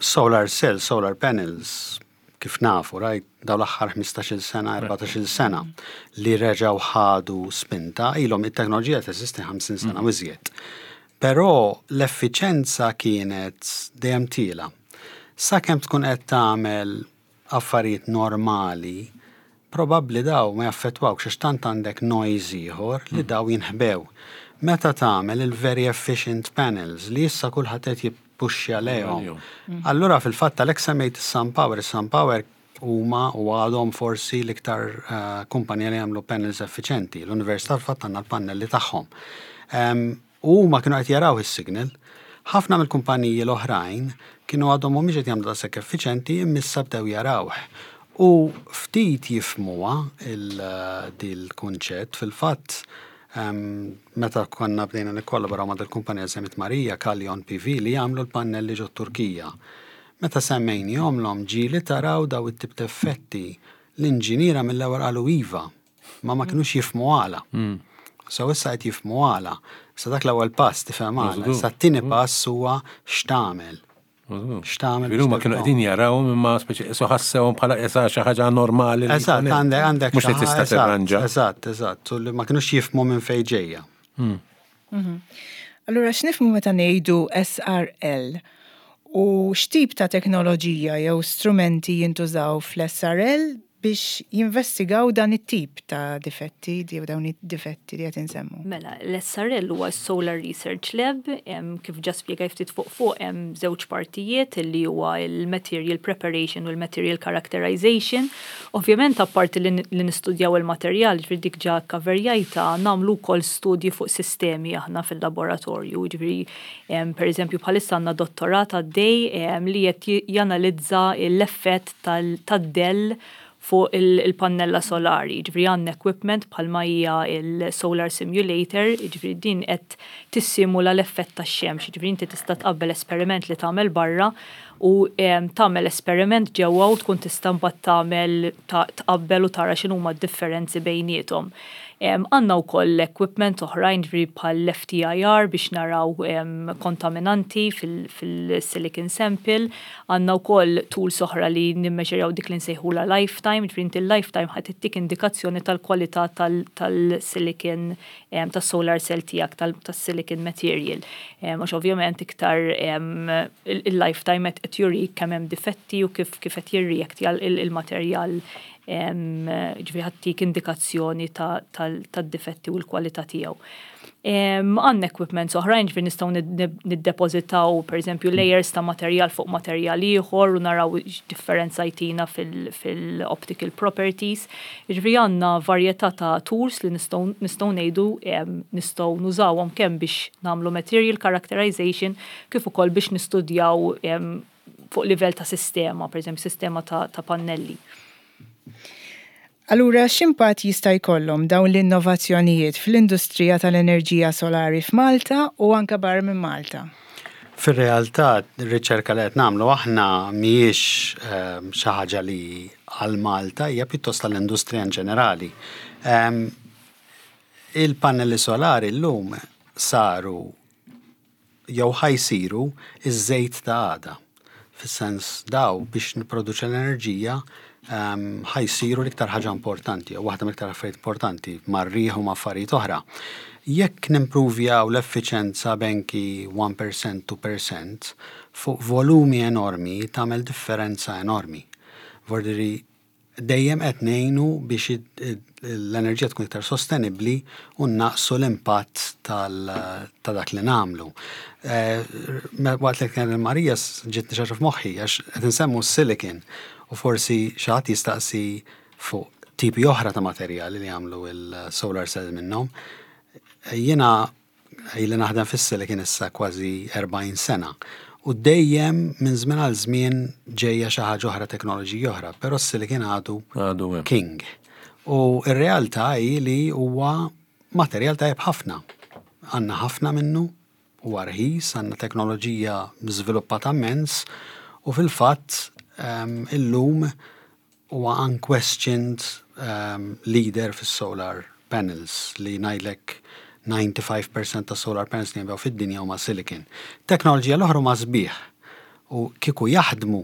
solar cells, solar panels, kif nafu, right, daw l-aħħar 15-il sena, 14-il sena li reġaw ħadu spinta, ilhom it-teknoloġija teżisti 50 sena u iżjed. Però l-effiċenza kienet dejjem tiela. Sakemm tkun qed tagħmel affarijiet normali, probabbli daw ma jaffettwawx għax tant għandek noise ieħor li daw jinħbew. Meta tagħmel il-very efficient panels li issa kulħadd qed jippuxxja lejhom. Allura fil-fatt għalhekk semmejt is-SunPower, is-SunPower huma u għadhom forsi l-iktar kumpanija li jagħmlu panels effiċenti. L-Università fil-fatt għandna l-pannelli tagħhom. U huma kienu qed jaraw is-signal. Ħafna mill-kumpaniji l-oħrajn kienu għadhom mhumiex qed jagħmlu daqshekk effiċenti, imma issa bdew jarawh. U ftit jifhmuha dil-kunċett. Fil-fatt, meta konna bdejna nikkollaboraw ma' dil-kumpanija semmit Marija, Kalyon PV, li jagħmlu l-pannelli ġo Turkija. Meta semmejniehomlhom, ġieli taraw daw it-tip ta' effetti, l-inġiniera mill-ewwel qalu iva, ma kinux jifhmu għala. So issa qed jifhmu għala. Sa dak l-ewwel pass tifhem għala. Issa t-tieni pass huwa x'tagħmel. X'tagħmel Ġifieri huma biex kienu qegħdin jaraw imma speċi so ħassewhom bħala issa xi ħaġa normali li Eżatt, jkun hemm. għandek Mhux li xi tista' eżatt, tirranġa. Eżatt. U li ma kinux jifhmu minn fejn ġejja. Allura x'nifhmu meta ngħidu SRL? U x'tip ta' teknoloġija jew strumenti jintużaw fl-SRL biex jinvestigaw dan it-tip ta' difetti, jew dawn id-difetti li qed insemmu? Mela, l-SRL huwa Solar Research Lab, kif ġa spjegaj ftit fuq hemm żewġ partijiet li huwa il-material preparation u l-material characterization. Ovvjament, apparti li nistudjaw il-materjal, ġifieri dik ġa kaverjajta, nagħmlu wkoll studji fuq sistemi aħna fil-laboratorju, ġifieri per eżempju bħalissa għandna dottorat għaddej li qed janalizza l-effett tad-dell fuq il-pannella solari. Ġifieri għandna equipment bħalma hija il-solar simulator, ġifieri din qed tissimula l-effett tax-xemx. Ġifieri inti tista' tqabbel esperiment li tagħmel barra u tagħmel esperiment ġewwa u tkun tista' mbagħad tagħmel tqabbel u tara x'inhuma d-differenzi bejniethom. Għandna wkoll equipment oħrajn, ġifieri bħal FTIR biex naraw kontaminanti fil-silicon sample. Għandna wkoll tools oħra li nimmeġerjaw dik li nsejħula lifetime, ġifieri inti l-lifetime ħadd ittik indikazzjoni tal-kwalità tal-silicon, tas-solar cell tiegħek, tas-silicon material. Għax ovvjament iktar il-lifetime qed jurik kemm hemm difetti u kif qed jirreact il-materjal. Ġifieri ħa ttik indikazzjoni tad-difetti u l-kwalità tiegħu. Għandna equipments oħrajn, ġifieri nistgħu niddepożitaw pereżempju layers ta' materjal fuq materjal ieħor u naraw x'differenza jtina fil-optical properties. Ġifieri għandna varjetà ta' tools li nistgħu ngħidu nistgħu nużawhom kemm biex nagħmlu material characterization kif ukoll biex nistudjaw fuq livell ta' sistema, pereżempju sistema ta' pannelli. Allura x'impatt jista' jkollhom dawn l-innovazzjonijiet fl-industrija tal-enerġija solari f'Malta u anke barra minn Malta? Fir-realtà, ir-riċerka li qed nagħmlu aħna mhijiex xi ħaġa li għal Malta, hija pjuttost għall-industrija in ġenerali. Il-pannelli solari llum saru jew ħa jsiru ż-żejt ta' għada. Fis-sens daw biex nipproduċi l-enerġija ħa jsiru l-iktar ħaġa importanti jew waħda mill-iktar affarijiet importanti mar-riħ u ma' affarijiet oħra. Jekk nimpruvjaw l-effiċenza b'anki 1%, 2% fuq volumi enormi tagħmel differenza enormi. Vordiri dejjem qed ngħinu biex l-enerġija tkun iktar sostenibbli u nnaqqsu l-impatt ta' dak li nagħmlu. Waqt li kien Marija ġietni xi ħaġa f'moħħi għax qed insemmu s-silicon u forsi xi ħadd jistaqsi fuq tipi oħra ta' materjali li jagħmlu l-solar cell minnhom. Jiena Ili naħdem fis-silicon issa kważi 40 sena u dejjem minn żmien għal żmien ġejja xi ħaġa oħra teknoloġija oħra, però s-silicon għadu king. U r-realtà hi li huwa materjal tajjeb ħafna. Għandna ħafna minnu, huwa rħis, għandna teknoloġija żviluppata immens u fil-fatt illum Huwa unquestioned leader fis-solar panels li ngħidlek 95 percent tas-solar panels li jinbiegħu fid-dinja huma silicon. Teknoloġija l-oħra huma sbieħ u kieku jaħdmu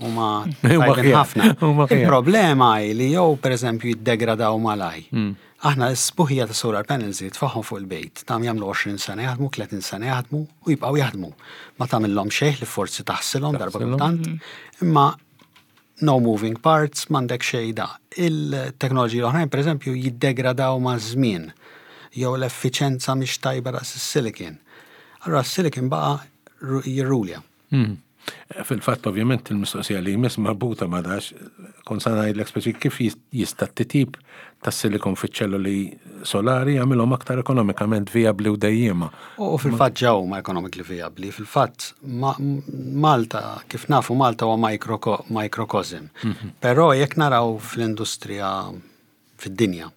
huma tajbin ħafna. Il-problema hi li jew pereżempju jiddegradaw malaj. Aħna s-sbuħija ta' solar panels li tfaħħom fuq il-bejt, tam jagħmlu 20 sena jaħdmu, 30 sena jaħdmu u jibqgħu jaħdmu. Ma tagħmilhom xejn li forsi taħsilhom darba kultant, imma no moving parts, m'għandek xejn da. Il-teknoloġiji l-oħrajn, pereżempju, jiddegradaw maż-żmien jew l-effiċenza mhix tajba daqs is-silicon. Allura s-silicon baqa' jirrulja. Hmm. Fil-fatt, ovvjament, il-mistoqsija li jmiss marbuta ma dax, kont sa ngħidlek speċi kif jista' t-titjib tas-silikon fiċ-ċelloli solari jagħmilhom aktar ekonomikament vijabbli u dejjiema. U fil-fatt ġa huma economically vijabbli. Fil-fatt Malta, kif nafu Malta huwa microcosm. Mhm. Però jekk naraw fl-industrija fid-dinja,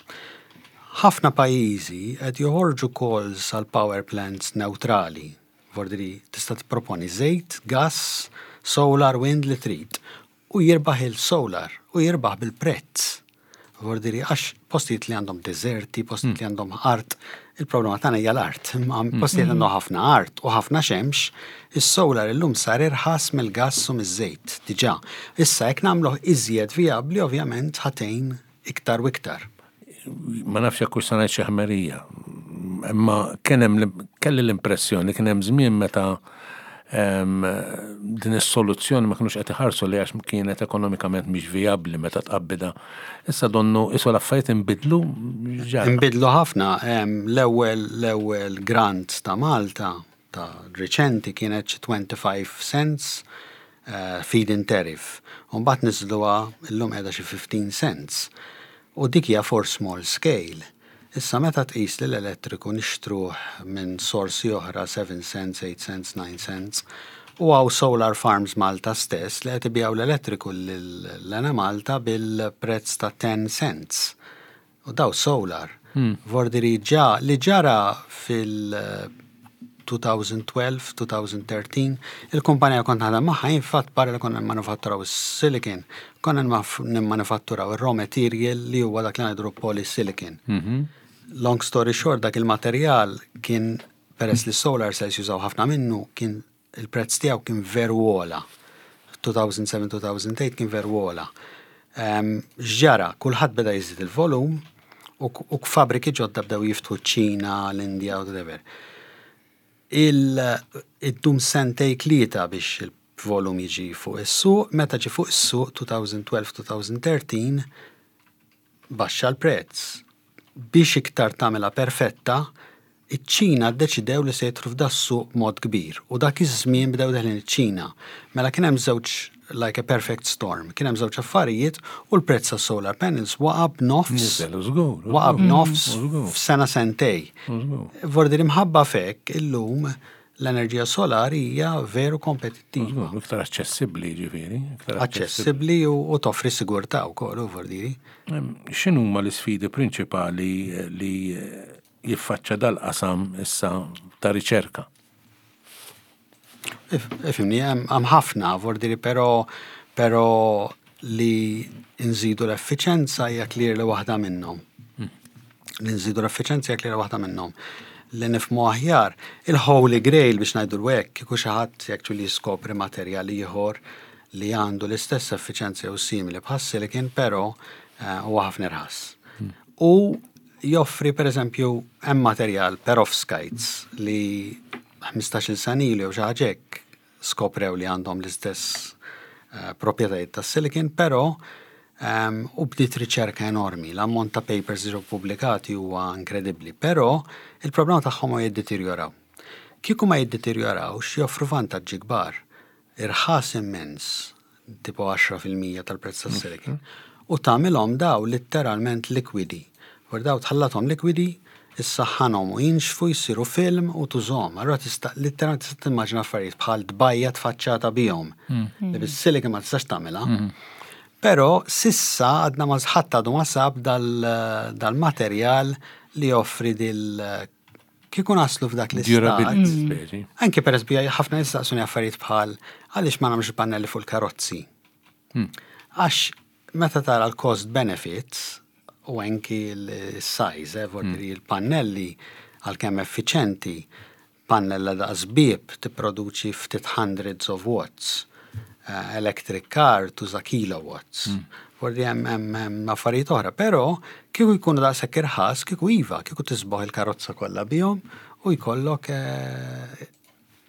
ħafna pajjiżi qed joħorġu calls għal power plants neutrali. Vordiri tista' tipproponi żejt, gas, solar, wind li trid. U jirbaħ il-solar u jirbaħ bil-prezz. Vordiri għax postijiet li għandhom deżerti, postijiet li għandhom art, il-problema tagħna hija l-art, imma postijiet li għandhom ħafna art u ħafna xemx, is-solar illum sar irħas mill-gass u miż-żejt diġà. Issa jekk nagħmluh iżjed vijabbli ovvjament ħa tgħin iktar u iktar. Ma nafx jekk hux se ngħid xi ħmerija, imma kien hemm kelli l-impressjoni kien hemm żmien meta din is-soluzzjoni ma kinux qed iħarsu li għax kienet ekonomikament mhix vijabbli meta tqabbida. Issa donnu isu l-affarijiet inbidlu. Inbidlu ħafna. L-ewwel l-ewwel grant ta' Malta ta' riċenti kienet xi 25 cents eh, feed-in tariff. U mbagħad niżluha llum qiegħda xi 15 cents. U dik hija for small scale. Issa meta tqis li l-elettriku nixtruh minn sorsi oħra 7 cents, 8 cents, 9 cents, u hawn solar farms Malta stess li qed ibigħu l-elettriku lill-Enemalta bil-prezz ta' 10 cents. U daw solar. Vordiri ġa li ġara fil 2012, 2013, il-kumpanija kont naħdem magħha jien fatt barra li konna nimmanifatturaw is-silicon, konna nimmanifatturaw ir-raw material li huwa dak li ngħidulu polysilicon. Mhm. Long story short, dak il-materjal kien peress li solar cells jużaw ħafna minnu, kien il-prezz tiegħu kien veru ogħla. 2007-2008 kien veru ogħla. X'ġara? Kulħadd beda jiżid il-volum u fabriki ġodda bdew jiftħu ċ-Ċina, l-Indja, whatever. Il-dum sentej tlieta biex b'volum jiġi fuq is-suq, meta ġie fuq is-suq 2012-2013 baxxa l-prezz. Biex iktar tagħmilha perfetta, iċ-Ċina ddeċidew li se jidħlu f'das-suq b'mod kbir u dak iż-żmien bdew deħlin iċ-Ċina. Mela kien hemm żewġ like a perfect storm. Kien hemm żewġ affarijiet u l-prezz tas-solar panels waqa' b'nofs. Niżel, u żgur. Waqa' b'nofs f'sena sentej. Vordi li mħabba f'hekk illum l-enerġija solari hija veru kompetittiva. Iktar aċċessibbli ġifieri. Aċċessibbli u toffri sigurtà wkoll, u vordiri. X'inhuma l-isfidi prinċipali li jiffaċċa dal-qasam issa ta' riċerka? Ifimni, hemm ħafna, vordiri, però però li nżidu l-effiċenza hija clear li waħda minnhom. Li nżidu l-effiċenza hija clear waħda minnhom. Li nifhmu aħjar, il-Holy Grail biex ngħidu hekk, kieku xi ħadd actually jiskopri materjal ieħor li għandu l-istess effiċenza jew simili bħas-silicon, però huwa ħafna irħas. U joffri pereżempju hemm materjal perovskites li 15-il sena ilu jew xi ħaġa hekk skoprew li għandhom l-istess proprjetajiet tas-silicon, però u bdiet riċerka enormi. L-ammont ta' papers li ġew pubblikati huwa inkredibbli, però il-problema tagħhom huwa jiddeterjoraw. Kieku ma jiddeterjorawx joffru vantaġġi kbar. Irħas immens, tipo 10% tal-prezz tas-silicon, u tagħmilhom daw litteralment likwidi. Wara daw tħallathom likwidi, issaħħanhom u jinxfu jsiru film u tużhom. Allura tista' litteralment tista' timmaġina affarijiet bħal tbajja tfaċċata bihom. Li bis-silicon ma tistax tagħmilha. Però sissa għadna ma ħadd għadu ma sab dal-materjal li joffri dil kieku naslu f'dak l-istat. Durability speċi. Anki per esempio, ħafna jistaqsuni affarijiet bħal għaliex ma nagħmlux pannelli fuq il-karozzi. Għax meta tara l-cost benefits u anki l-size, vuol il-pannelli għalkemm effiċenti, pannella daqs bieb tipproduċi ftit hundreds of watts. Electric car tuża kilowatts. Vordi hemm affarijiet oħra, però kieku jkunu daqshekk irħas, kieku iva, kieku tisboħ il-karozza kollha bihom u jkollok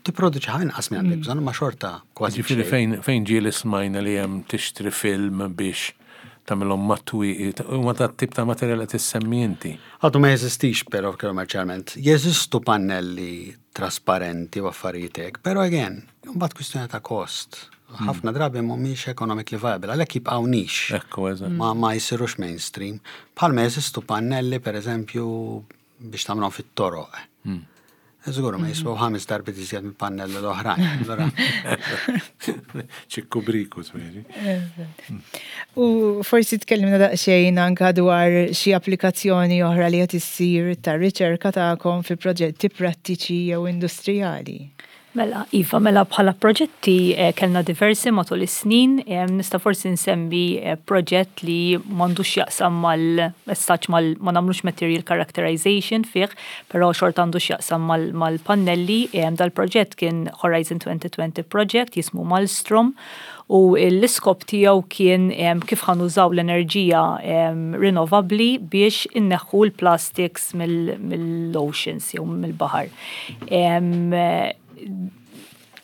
tipproduċi ħafna inqas minn għandek bżonn, ma xorta kważi. Ġifieri fejn ġieli smajna li hemm tixtri film biex tagħmilhom mat-twieqi, huma ta' tip ta' materjal qed issemmi inti. Għadu ma jeżistix però kummerċjalment. Jeżistu pannelli trasparenti u affarijiet hekk, però again, mbagħad kwistjoni ta' kost. Ħafna drabi mhumiex economically viable, għalhekk jibqgħu niche. Ekku, eżatt. Ma jsirux mainstream. Bħalma jeżistu pannelli pereżempju biex tagħmlhom fit-toroq. Żgur ma jiswew 5 darbiet iżjed minn pannelli l-oħrajn. Allura Ċikku briku, speċi. U forsi tkellimna daqsxejn anka dwar xi applikazzjoni oħra li qed issir tar-riċerka tagħkom fi proġetti prattiċi jew industrijali. Mela, Iva, mela bħala proġetti kellna diversi matul is-snin, nista' forsi nsemmi proġett li m'għandux jaqsam mal-messaġġ mal ma nagħmlux material characterization fih, però xorta għandu x'jaqsam mal-pannelli. Dal-proġett kien Horizon 2020 project jismu Malmstrom u l-iskop tiegħu kien kif ħa nużaw l-enerġija rinnovabbli biex inneħħu l-plastics mill-oceans jew mill-baħar.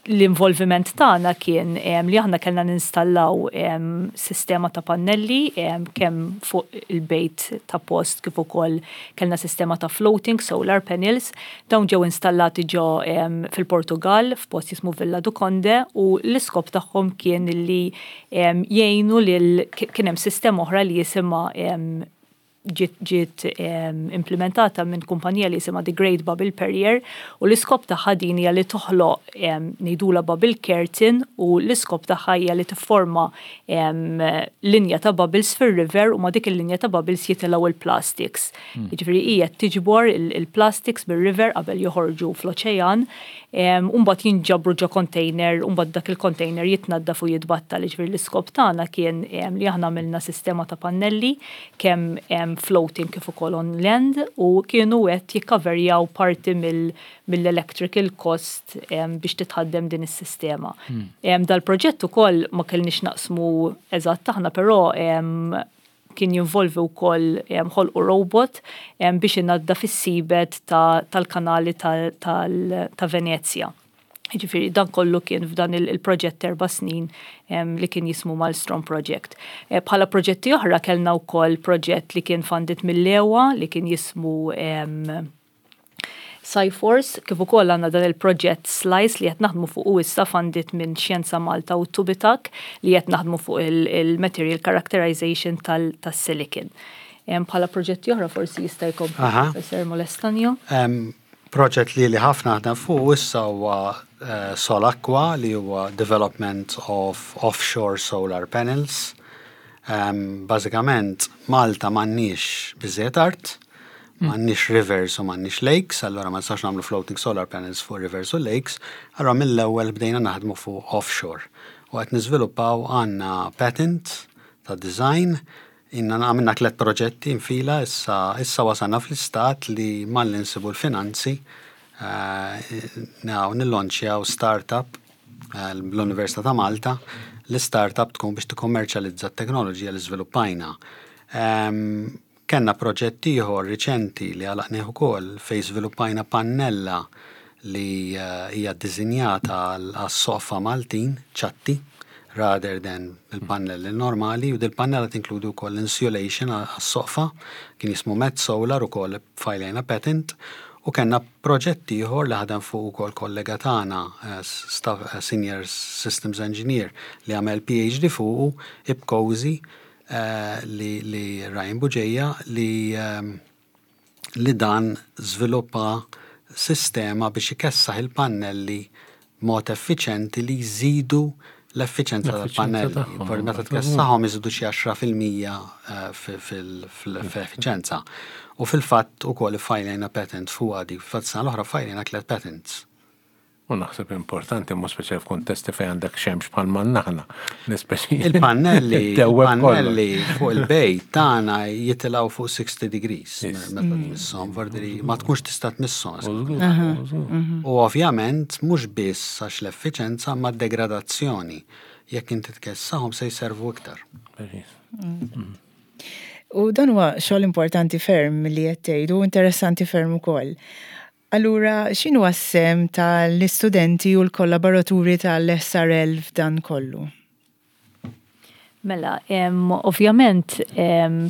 L-involviment tagħna kien li aħna kellna ninstallaw sistema ta' pannelli kemm fuq il-bejt ta' post kif ukoll kellna sistema ta' floating solar panels. Dawn ġew installati ġo fil-Portugal f'post jismu Villa do Conde u l-iskop tagħhom kien li jgħinu lil kien hemm sistema oħra li jisimha ġiet implementata minn kumpanija li jisimha The Great Bubble Perrier u l-iskop tagħha din hija li toħloq ngħidula bubble curtain u l-iskop tagħha hija li tifforma linja ta' bubbles fir-river u ma' dik il-linja ta' bubbles jitilgħu il-plastics. Jiġifieri hija tiġbor il-plastics bir-river qabel joħorġu fl-oċean u mbagħad jinġabru ġo container u mbagħad dak il-container jitnaddaf u jitbattal. Jiġifieri l-iskop tagħna kien li aħna għamilna sistema ta' pannelli kemm floating kif ukoll on land u kienu qed jikkaverjaw parti mill-electrical cost biex titħaddem din is-sistema. Dal-proġett ukoll ma kellniex naqsmu eżatt aħna, però kien jinvolvi wkoll ħolqu robot biex inaddaf is-seabed tal-kanali ta' Venezja. Ġifieri dan kollu kien f'dan il-proġett 4 snin li kien jismu Malmstrom Project. Bħala proġetti oħra kellna wkoll proġett li kien funded mill-EWA li kien jismu Sciforce, kif ukoll għandna dan il-proġett Slice li qed naħdmu fuqu issa funded minn Xjenza Malta u Tubitak li qed naħdmu fuq il-material characterization tas-silicon. Bħala proġetti oħra forsi jista' jkompli Professor Molestanjo. Proġett li li ħafna naħdem fuq issa huwa Solaqua, li huwa development of offshore solar panels. Bażikament Malta m'għandniex biżżejjed art, m'għandniex rivers u m'għandniex lakes, allura ma nistax nagħmlu floating solar panels fuq rivers u lakes, allura mill-ewwel bdejna naħdmu fuq offshore. U qed niżviluppaw, għandna patent ta' design, inna għamilna 3 proġetti infila, issa wasalna fl-istat li malli nsibu l-finanzi, nillonċjaw startup l-Università ta' Malta, l-startup tkun biex tikkommerċjalizza t-teknoloġija li żviluppajna. Kenna proġett ieħor riċenti li għalaqnieh ukoll fejn żviluppajna pannella li hija ddisinjata għas-soqfa Maltin, ċatti, rather than il-pannelli normali, u dil-pannella tinkludi wkoll insulation għas-soqfa, kien jismu Met Solar ukoll fajlejna patent, u kellna proġett ieħor li ħadem fuq ukoll kollega tagħna, Senior Systems Engineer, li għamel PhD fuqu, IPCOSI, li Ryan Buġeja, li dan żviluppa sistema biex ikessaħ il-pannelli b'mod effiċenti li jżidu l-effiċenza tal-pannelli. Forsi meta tkessaħhom iżidu xi 10% fil-effiċenza. U fil-fatt ukoll iffajlejna patent fuqha dik. Fil-fatt sena l-oħra ffajlejna 3 patents. U naħseb importanti, mhux speċjal f'kuntesti fejn għandek xemx bħal ma aħna. Il-pannelli, il-pannelli fuq il-bejt tagħna jitilgħu fuq 60 degrees meta tmisshom, vordiri ma tkunx tista' tmisshom. U ovvjament mhux biss għax l-effiċenza ma degradazzjoni. Jekk inti tkessaħhom se jservu iktar. U dan huwa xogħol importanti ferm li qed tgħidu, interessanti ferm ukoll. Allura, x'inhu s-sehem tal-istudenti u l-kollaboraturi tal-SRL f'dan kollu? Mela, ovvjament,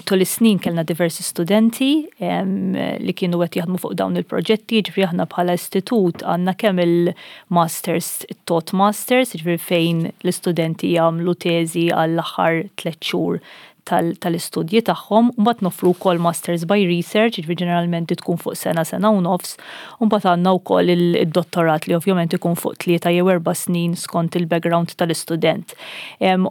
tul is-snin kellna diversi studenti li kienu qed jaħdmu fuq dawn il-proġetti, ġifieri aħna bħala istitut għandna kemm il-masters, it-taught masters, ġifieri fejn l-istudenti jagħmlu teżi għall-aħħar 3 xhur tal-istudji tagħhom, u mbagħad noffru wkoll masters by research, ġifieri ġeneralment tkun fuq sena, sena u nofs, u mbagħad għandna wkoll id-dottorat li ovvjament ikun fuq 3 jew 4 snin skont il-background tal-istudent.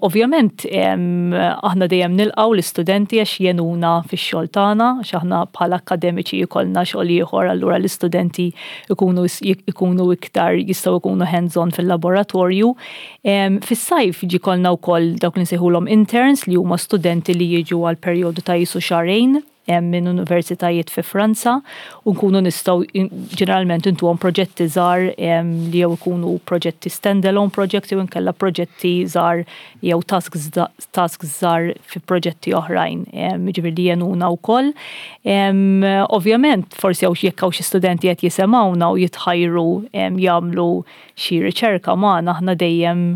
Ovvjament, aħna dejjem nilqgħu l-istudenti għax jenuna fix-xogħol tagħna, għax aħna bħala akademiċi jkollna xogħol ieħor, allura l-istudenti ikunu iktar jistgħu jkunu hands-on fil-laboratorju. Fis-sajf ġi kollna wkoll dawk li nsejħulhom interns li huma studenti li jiġu għal perjodu ta' jisu xahrejn minn universitajiet fi Franza, u nkunu nistgħu ġeneralment intuhom proġetti żgħar li jew ikunu proġetti standalone projects jew inkella proġetti żgħar jew tasks żgħar fi proġetti oħrajn, jiġifieri li jenuna wkoll. Ovvjament forsi hawn jekk hawn xi studenti qed jisemgħuna u jitħajru jagħmlu xi riċerka magħna, aħna dejjem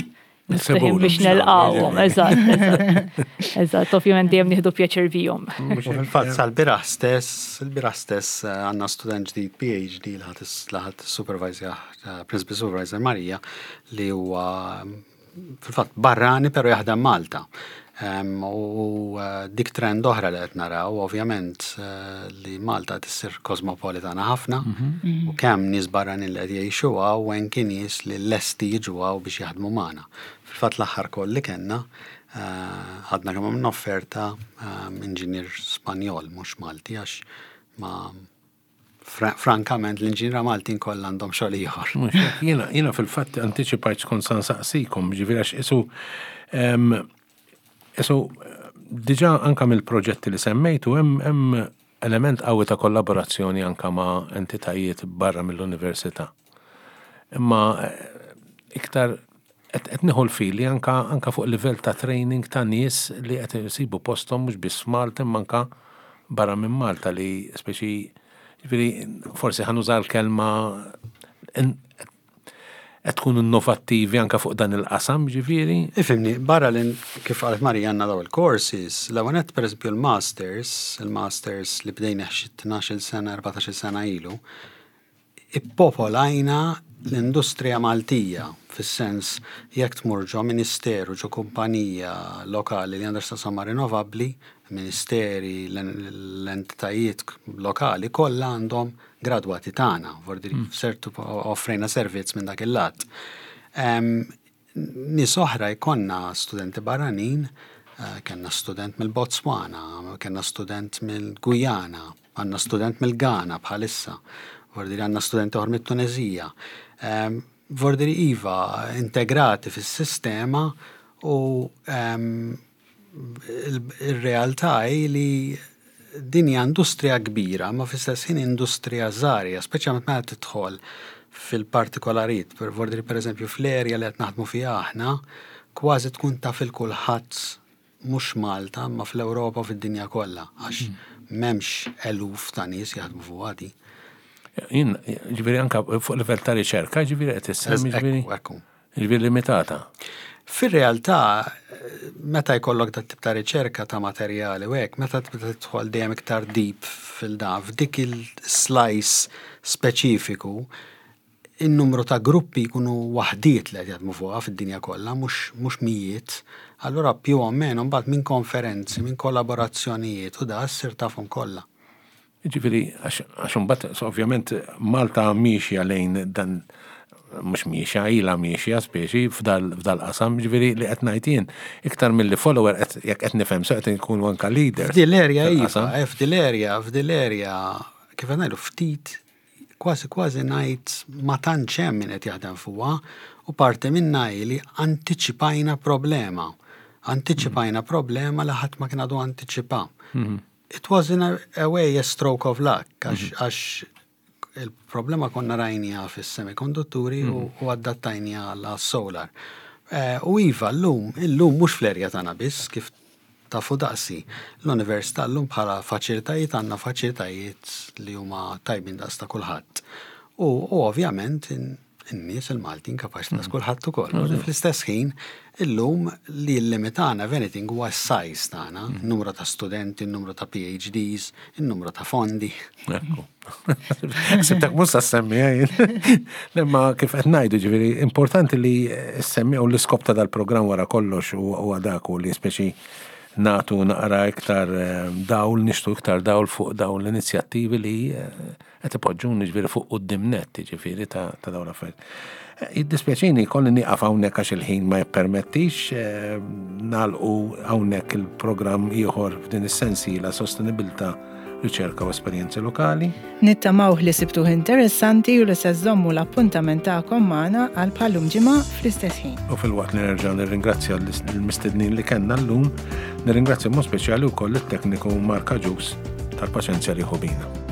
miftuħin biex nelqawhom. Eżatt, eżatt. Eżatt, ovvjament dejjem nieħdu pjaċir bihom. Fil-fatt sal-bieraħ stess, il-bieraħ stess għandna student ġdid PhD li ħadd supervisor, principal supervisor Marija, li huwa fil-fatt barrani però jaħdem Malta. U dik trend oħra li qed naraw, ovvjament, li Malta qed issir kosmopolitana ħafna, u kemm nies barranin li qed jgħixu hawn u anki nies li lesti jiġu hawn biex jaħdmu magħna. Fil-fatt l-aħħar koll li kellna, ħadna kemm għamilna offerta inġinier Spanjol mhux Malti, għax ma frankament l-inġiniera Maltin kollha għandhom xogħol ieħor. Mhux hekk, jiena fil-fatt antiċipajt x'kont sa nsaqsikom, ġifieri għax isu diġà anka mill-proġetti li semmejtu hemm element qawwi ta' kollaborazzjoni anka ma' entitajiet barra mill-università. Imma iktar qed nieħu l-fili anka fuq livell ta' training ta' nies li qed isibu posthom mhux biss f'Malta imma anka barra minn Malta li speċi, ġifieri forsi ħa nuża l-kelma. qed tkunu innovattivi anke fuq dan il-qasam, ġifieri? Ifhimni, barra li kif qalet Marija għandna daw il-courses, l-ewwel nett pereżempju l-masters, il-masters li bdejna xi 12-il sena, 14-il sena ilu, ippopolajna l-industrija Maltija, fis-sens jekk tmur ġo ministeru, ġo kumpanija lokali li għandha x'taqsam ma' rinnovabbli, ministeri, l-entitajiet lokali kollha għandhom gradwati tagħna, vordi mm. sertu offrejna servizz minn dak il-lat. Nies oħra jkollna studenti barranin, eh, kellna student mill-Botswana, kellna student mill-Gujana, għandna student mill-Ghana bħalissa, vordi għandna student oħra mit-Tunezija. Vordi iva integrati fis-sistema u Ir-realtà hi li din hija industrija kbira, ma fl-istess ħin industrija żgħira, speċjalment meta tidħol fil-partikolarijiet, per pereżempju fl-erja li qed naħdmu fiha aħna, kważi tkun taf il kulħadd mhux Malta, ma fl-Ewropa u fid-dinja kollha, għax m'hemmx eluf ta' nies jaħdmu fuqha di. Jien, ġifieri anke fuq livell ta' riċerka, ġifieri qed issemmi ġifieri. Ekku. Jiġifieri limitata. Fir-realtà, meta jkollok dat tip ta' riċerka ta' materjali u hekk, meta tibda tidħol dejjem iktar deep fil-dan, f'dik il-slice speċifiku, in-numru ta' gruppi jkunu waħdiet li qed jaħdmu fuqha fid-dinja kollha, mhux mijiet. Allura più o meno mbagħad minn konferenzi, minn kollaborazzjonijiet u da ssir tafhom kollha. Jiġifieri, għax imbagħad ovvjament Malta miexja lejn dan mhux miexja, ilha miexja speċi f'dal-qasam, ġifieri li qed ngħid jien, iktar milli follower jekk qed nifhem sew qed inkunu anke leaders. F'din l-erja iva, eh, f'din l-erja, f'din l-erja, kif qed ngħidu ftit kważi kważi ngħid ma tantx hemm min qed jaħdem fuqha u parti minnha hi li antiċipajna problema. Antiċipajna problema li ħadd ma kien għadu antiċipa. Mhm. It was in a way a stroke of luck, għax mhm. il-problema konna rajnija fis-semikondutturi u mhm. adattajnija għal solar. Eh, u iva, l-lum, illum mhux fl-erja tagħna biss, kif tafu daqsi. L-università llum bħala faċilitajiet għandna faċilitajiet li huma tajbin daqs ta' kulħadd. U ovvjament in-nies il-Maltin kapaċi daqs kulħadd ukoll. Mm. Fl-istess ħin, illum li l-limitana if anything huwa s-size tagħna, mm. numru ta' studenti, numru ta' PhDs, il-numru ta' fondi. Ekku. Sibtak mhux sa semmi Imma kif qed ngħidu ġifieri importanti li semmi u l-iskop ta' dal-programm wara kollox huwa dak u li speċi natu naqra iktar eh, dawl, nixtu iktar dawl fuq dawn l-inizjattivi li eh, Qed ipoġġuni ġifieri fuq quddiem nett jiġifieri ta' dawn l-affarijiet. Jiddispjaċini jkolli nieqaf hawnhekk għax il-ħin ma jippermettix eh, nagħlqu hawnhekk il-programm ieħor f'din is-sensiela sostenibilità riċerka u esperjenzi lokali. Nittamaw li sibtuh interessanti u li se żżommu l-appuntament tagħkom magħna għal bħallum ġimgħa fl-istess ħin. U filwaqt li nerġa' nirringrazzja l-mistednin li kellna llum, nirringrazzja mod speċjali wkoll it-tekniku Mark Agius tal-paċenzja li ħu bina.